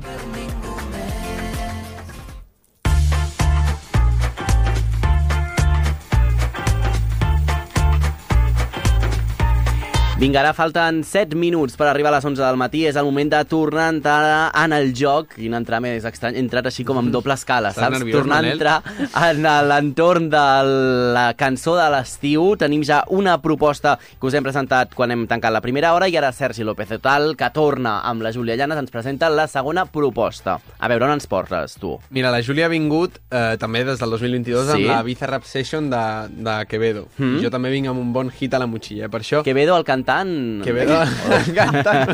Vinga, ara falten set minuts per arribar a les onze del matí. És el moment de tornar a entrar en el joc. Quin entrar més estrany. He entrat així com amb doble escala,
Estàs
saps?
nerviós,
Tornar
Manel?
a entrar en l'entorn de la cançó de l'estiu. Tenim ja una proposta que us hem presentat quan hem tancat la primera hora i ara Sergi López Otal, que torna amb la Júlia Llanes, ens presenta la segona proposta. A veure, on ens portes, tu?
Mira, la Júlia ha vingut eh, també des del dos mil vint-i-dos
Sí?
amb la Ibiza Rap Session de, de Quevedo.
Mm.
Jo també vinc amb un bon hit a la motxilla, eh? Per això...
Quevedo, el cantant...
Quevedo, el cantant.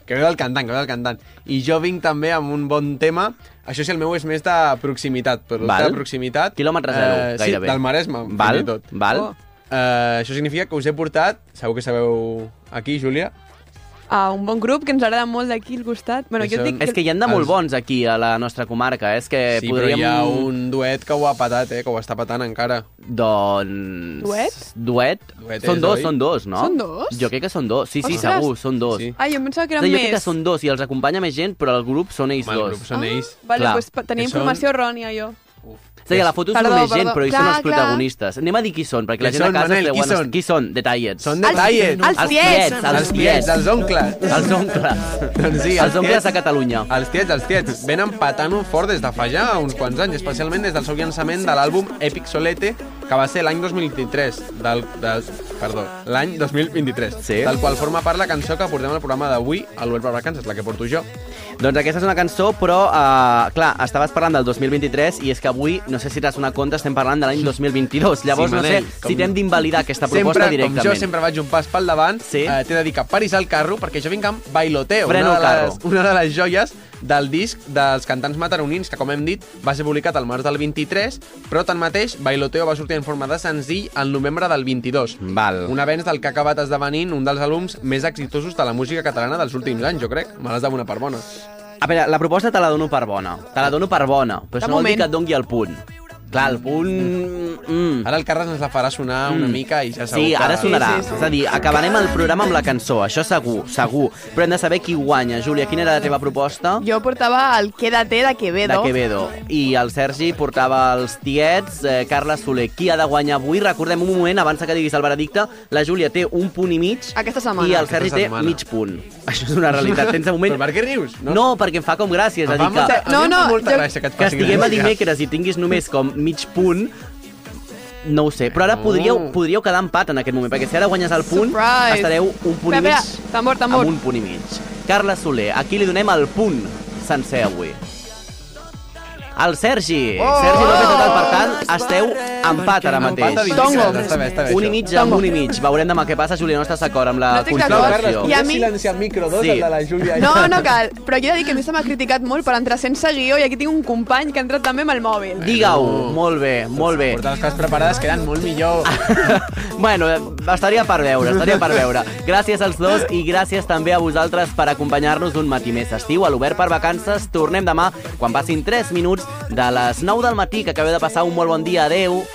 Quevedo, el cantant, Quevedo, el cantant. I jo vinc també amb un bon tema. Això sí, el meu és més de proximitat, producte
Val.
de proximitat.
Quilòmetre zero,
eh,
gairebé.
Sí, del Maresme,
Val,
fins i tot.
val.
Oh. Eh, això significa que us he portat, segur que sabeu aquí, Júlia,
a un bon grup que ens agrada molt d'aquí al costat. Bueno, jo et dic
És que hi han de molt
els-
bons aquí a la nostra comarca, eh? És que
sí,
podríem...
però hi ha un duet que ho ha patat, eh? Que ho està patant encara.
Doncs...
Duet?
Duet?
Duet
són
és,
dos,
oi?
són dos, no?
Són dos?
Jo crec que són dos. Sí, sí,
Ostres.
segur, són dos.
Sí.
Ah, jo em pensava que eren
Sí, jo
més.
crec que són dos i els acompanya més gent, però el grup són ells
Home, el
dos.
grup són ells.
Vale,
Clar.
doncs pa- tenia
Que són-
informació errònia, jo.
És a dir, a la foto és
Perdó,
només gent,
perdó.
però ells
Clar,
són els
clar.
protagonistes. Anem a dir qui són, perquè la
Qui
gent a
són,
casa
Manel?
es
Qui
deuen...
són?
Qui són? Detalles.
Són detallets.
Els
Els
tiets.
tiets, els
Els tiets, els oncles.
Els oncles.
Doncs sí,
Els oncles
tiets-
de Catalunya.
Els tiets, els tiets. Venen patant-ho fort des de fa ja uns quants anys, especialment des del seu llançament de l'àlbum Epic Solete, que va ser l'any dos mil vint-i-tres. Del, del, perdó, l'any dos mil vint-i-tres.
Sí.
Del qual forma part la cançó que portem al programa d'avui, a l'Obert per Vacances, la que porto jo.
Doncs aquesta és una cançó, però, uh, clar, estaves parlant del dos mil vint-i-tres i és que avui, no sé si t'has donat compte, estem parlant de l'any dos mil vint-i-dos. Llavors,
Sí,
no
Manel,
sé
com-
si t'hem d'invalidar aquesta proposta
Sempre,
directament.
com jo sempre vaig un pas pel davant,
Sí.
eh, t'he de dir que paris al carro, perquè jo vinc amb Bailoteo,
Freno
una
el
de,
carro.
les, una de les joies del disc dels cantants mataronins, que com hem dit va ser publicat al març del vint-i-tres, però tanmateix Bailoteo va sortir en forma de senzill al novembre del vint-i-dos.
Val.
Un avenç del que ha acabat esdevenint un dels àlbums més exitosos de la música catalana dels últims anys, jo crec. Me l'has de donar per bona.
A veure, la proposta te la dono per bona. Te la dono per bona, però
De
això no vol dir
moment.
que et doni el punt. Clar, el punt... Mm.
Ara el Carles ens la farà sonar una
Mm.
mica i ja segur
Sí,
que...
ara sonarà.
Sí, sí, sí.
És a dir, acabarem el programa amb la cançó, això segur, segur. Però hem de saber qui guanya. Júlia, quina era la teva proposta?
Jo portava el Quédate de Quevedo.
De Quevedo. I el Sergi portava els tiets, eh, Carles Soler. Qui ha de guanyar avui? Recordem un moment, abans que diguis el veredicte, la Júlia té un punt i mig
Aquesta setmana.
i el Sergi
Aquesta
té
setmana.
mig punt. Això és una realitat. Tens de moment...
Però per què rius?
No, no perquè em fa com gràcia. És a
Em
dir,
fa
que,
molta,
No,
a mi em fa
no,
molta
jo-
gràcia que et
que
facin
estiguem a
gràcia.
dimecres i tinguis només com mig punt, no ho sé. Però ara
No.
podríeu, podríeu quedar empat en aquest moment, perquè si ara guanyes el punt,
Surprise.
estareu un punt
Espera,
i mig
espera, tambor, tambor.
amb un punt i mig. Carles Soler, aquí li donem el punt sencer avui. El Sergi.
Oh!
Sergi López Otal, per tant, esteu empat ara mateix.
Empat a vint.
Tongo.
Està bé, està bé,
Un i
això.
mig amb un i mig. Veurem demà què passa, Júlia, no estàs d'acord amb la
No estic
Sisplau,
d'acord.
Carles,
I a
podries
mi-
silenciar el micro dos,
Sí.
el de la Júlia?
No, no cal. Però jo he de dir que a mi se m'ha criticat molt per entrar sense guió i aquí tinc un company que ha entrat també amb el mòbil.
Digue-ho. Molt bé, molt bé.
Portar les coses preparades queden molt millor.
Bueno, eh, estaria per veure, estaria per veure. Gràcies als dos i gràcies també a vosaltres per acompanyar-nos un matí més estiu a l'Obert per Vacances. Tornem demà quan passin tres minuts de les nou del matí, que acabeu de passar un molt bon dia. Adeu.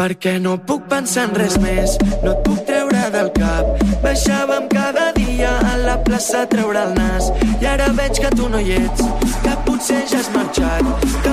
perquè no puc pensar en res més, no et puc treure del cap. Baixàvem cada dia a la plaça a treure el nas, i ara veig que tu no hi ets, que potser ja has marxat.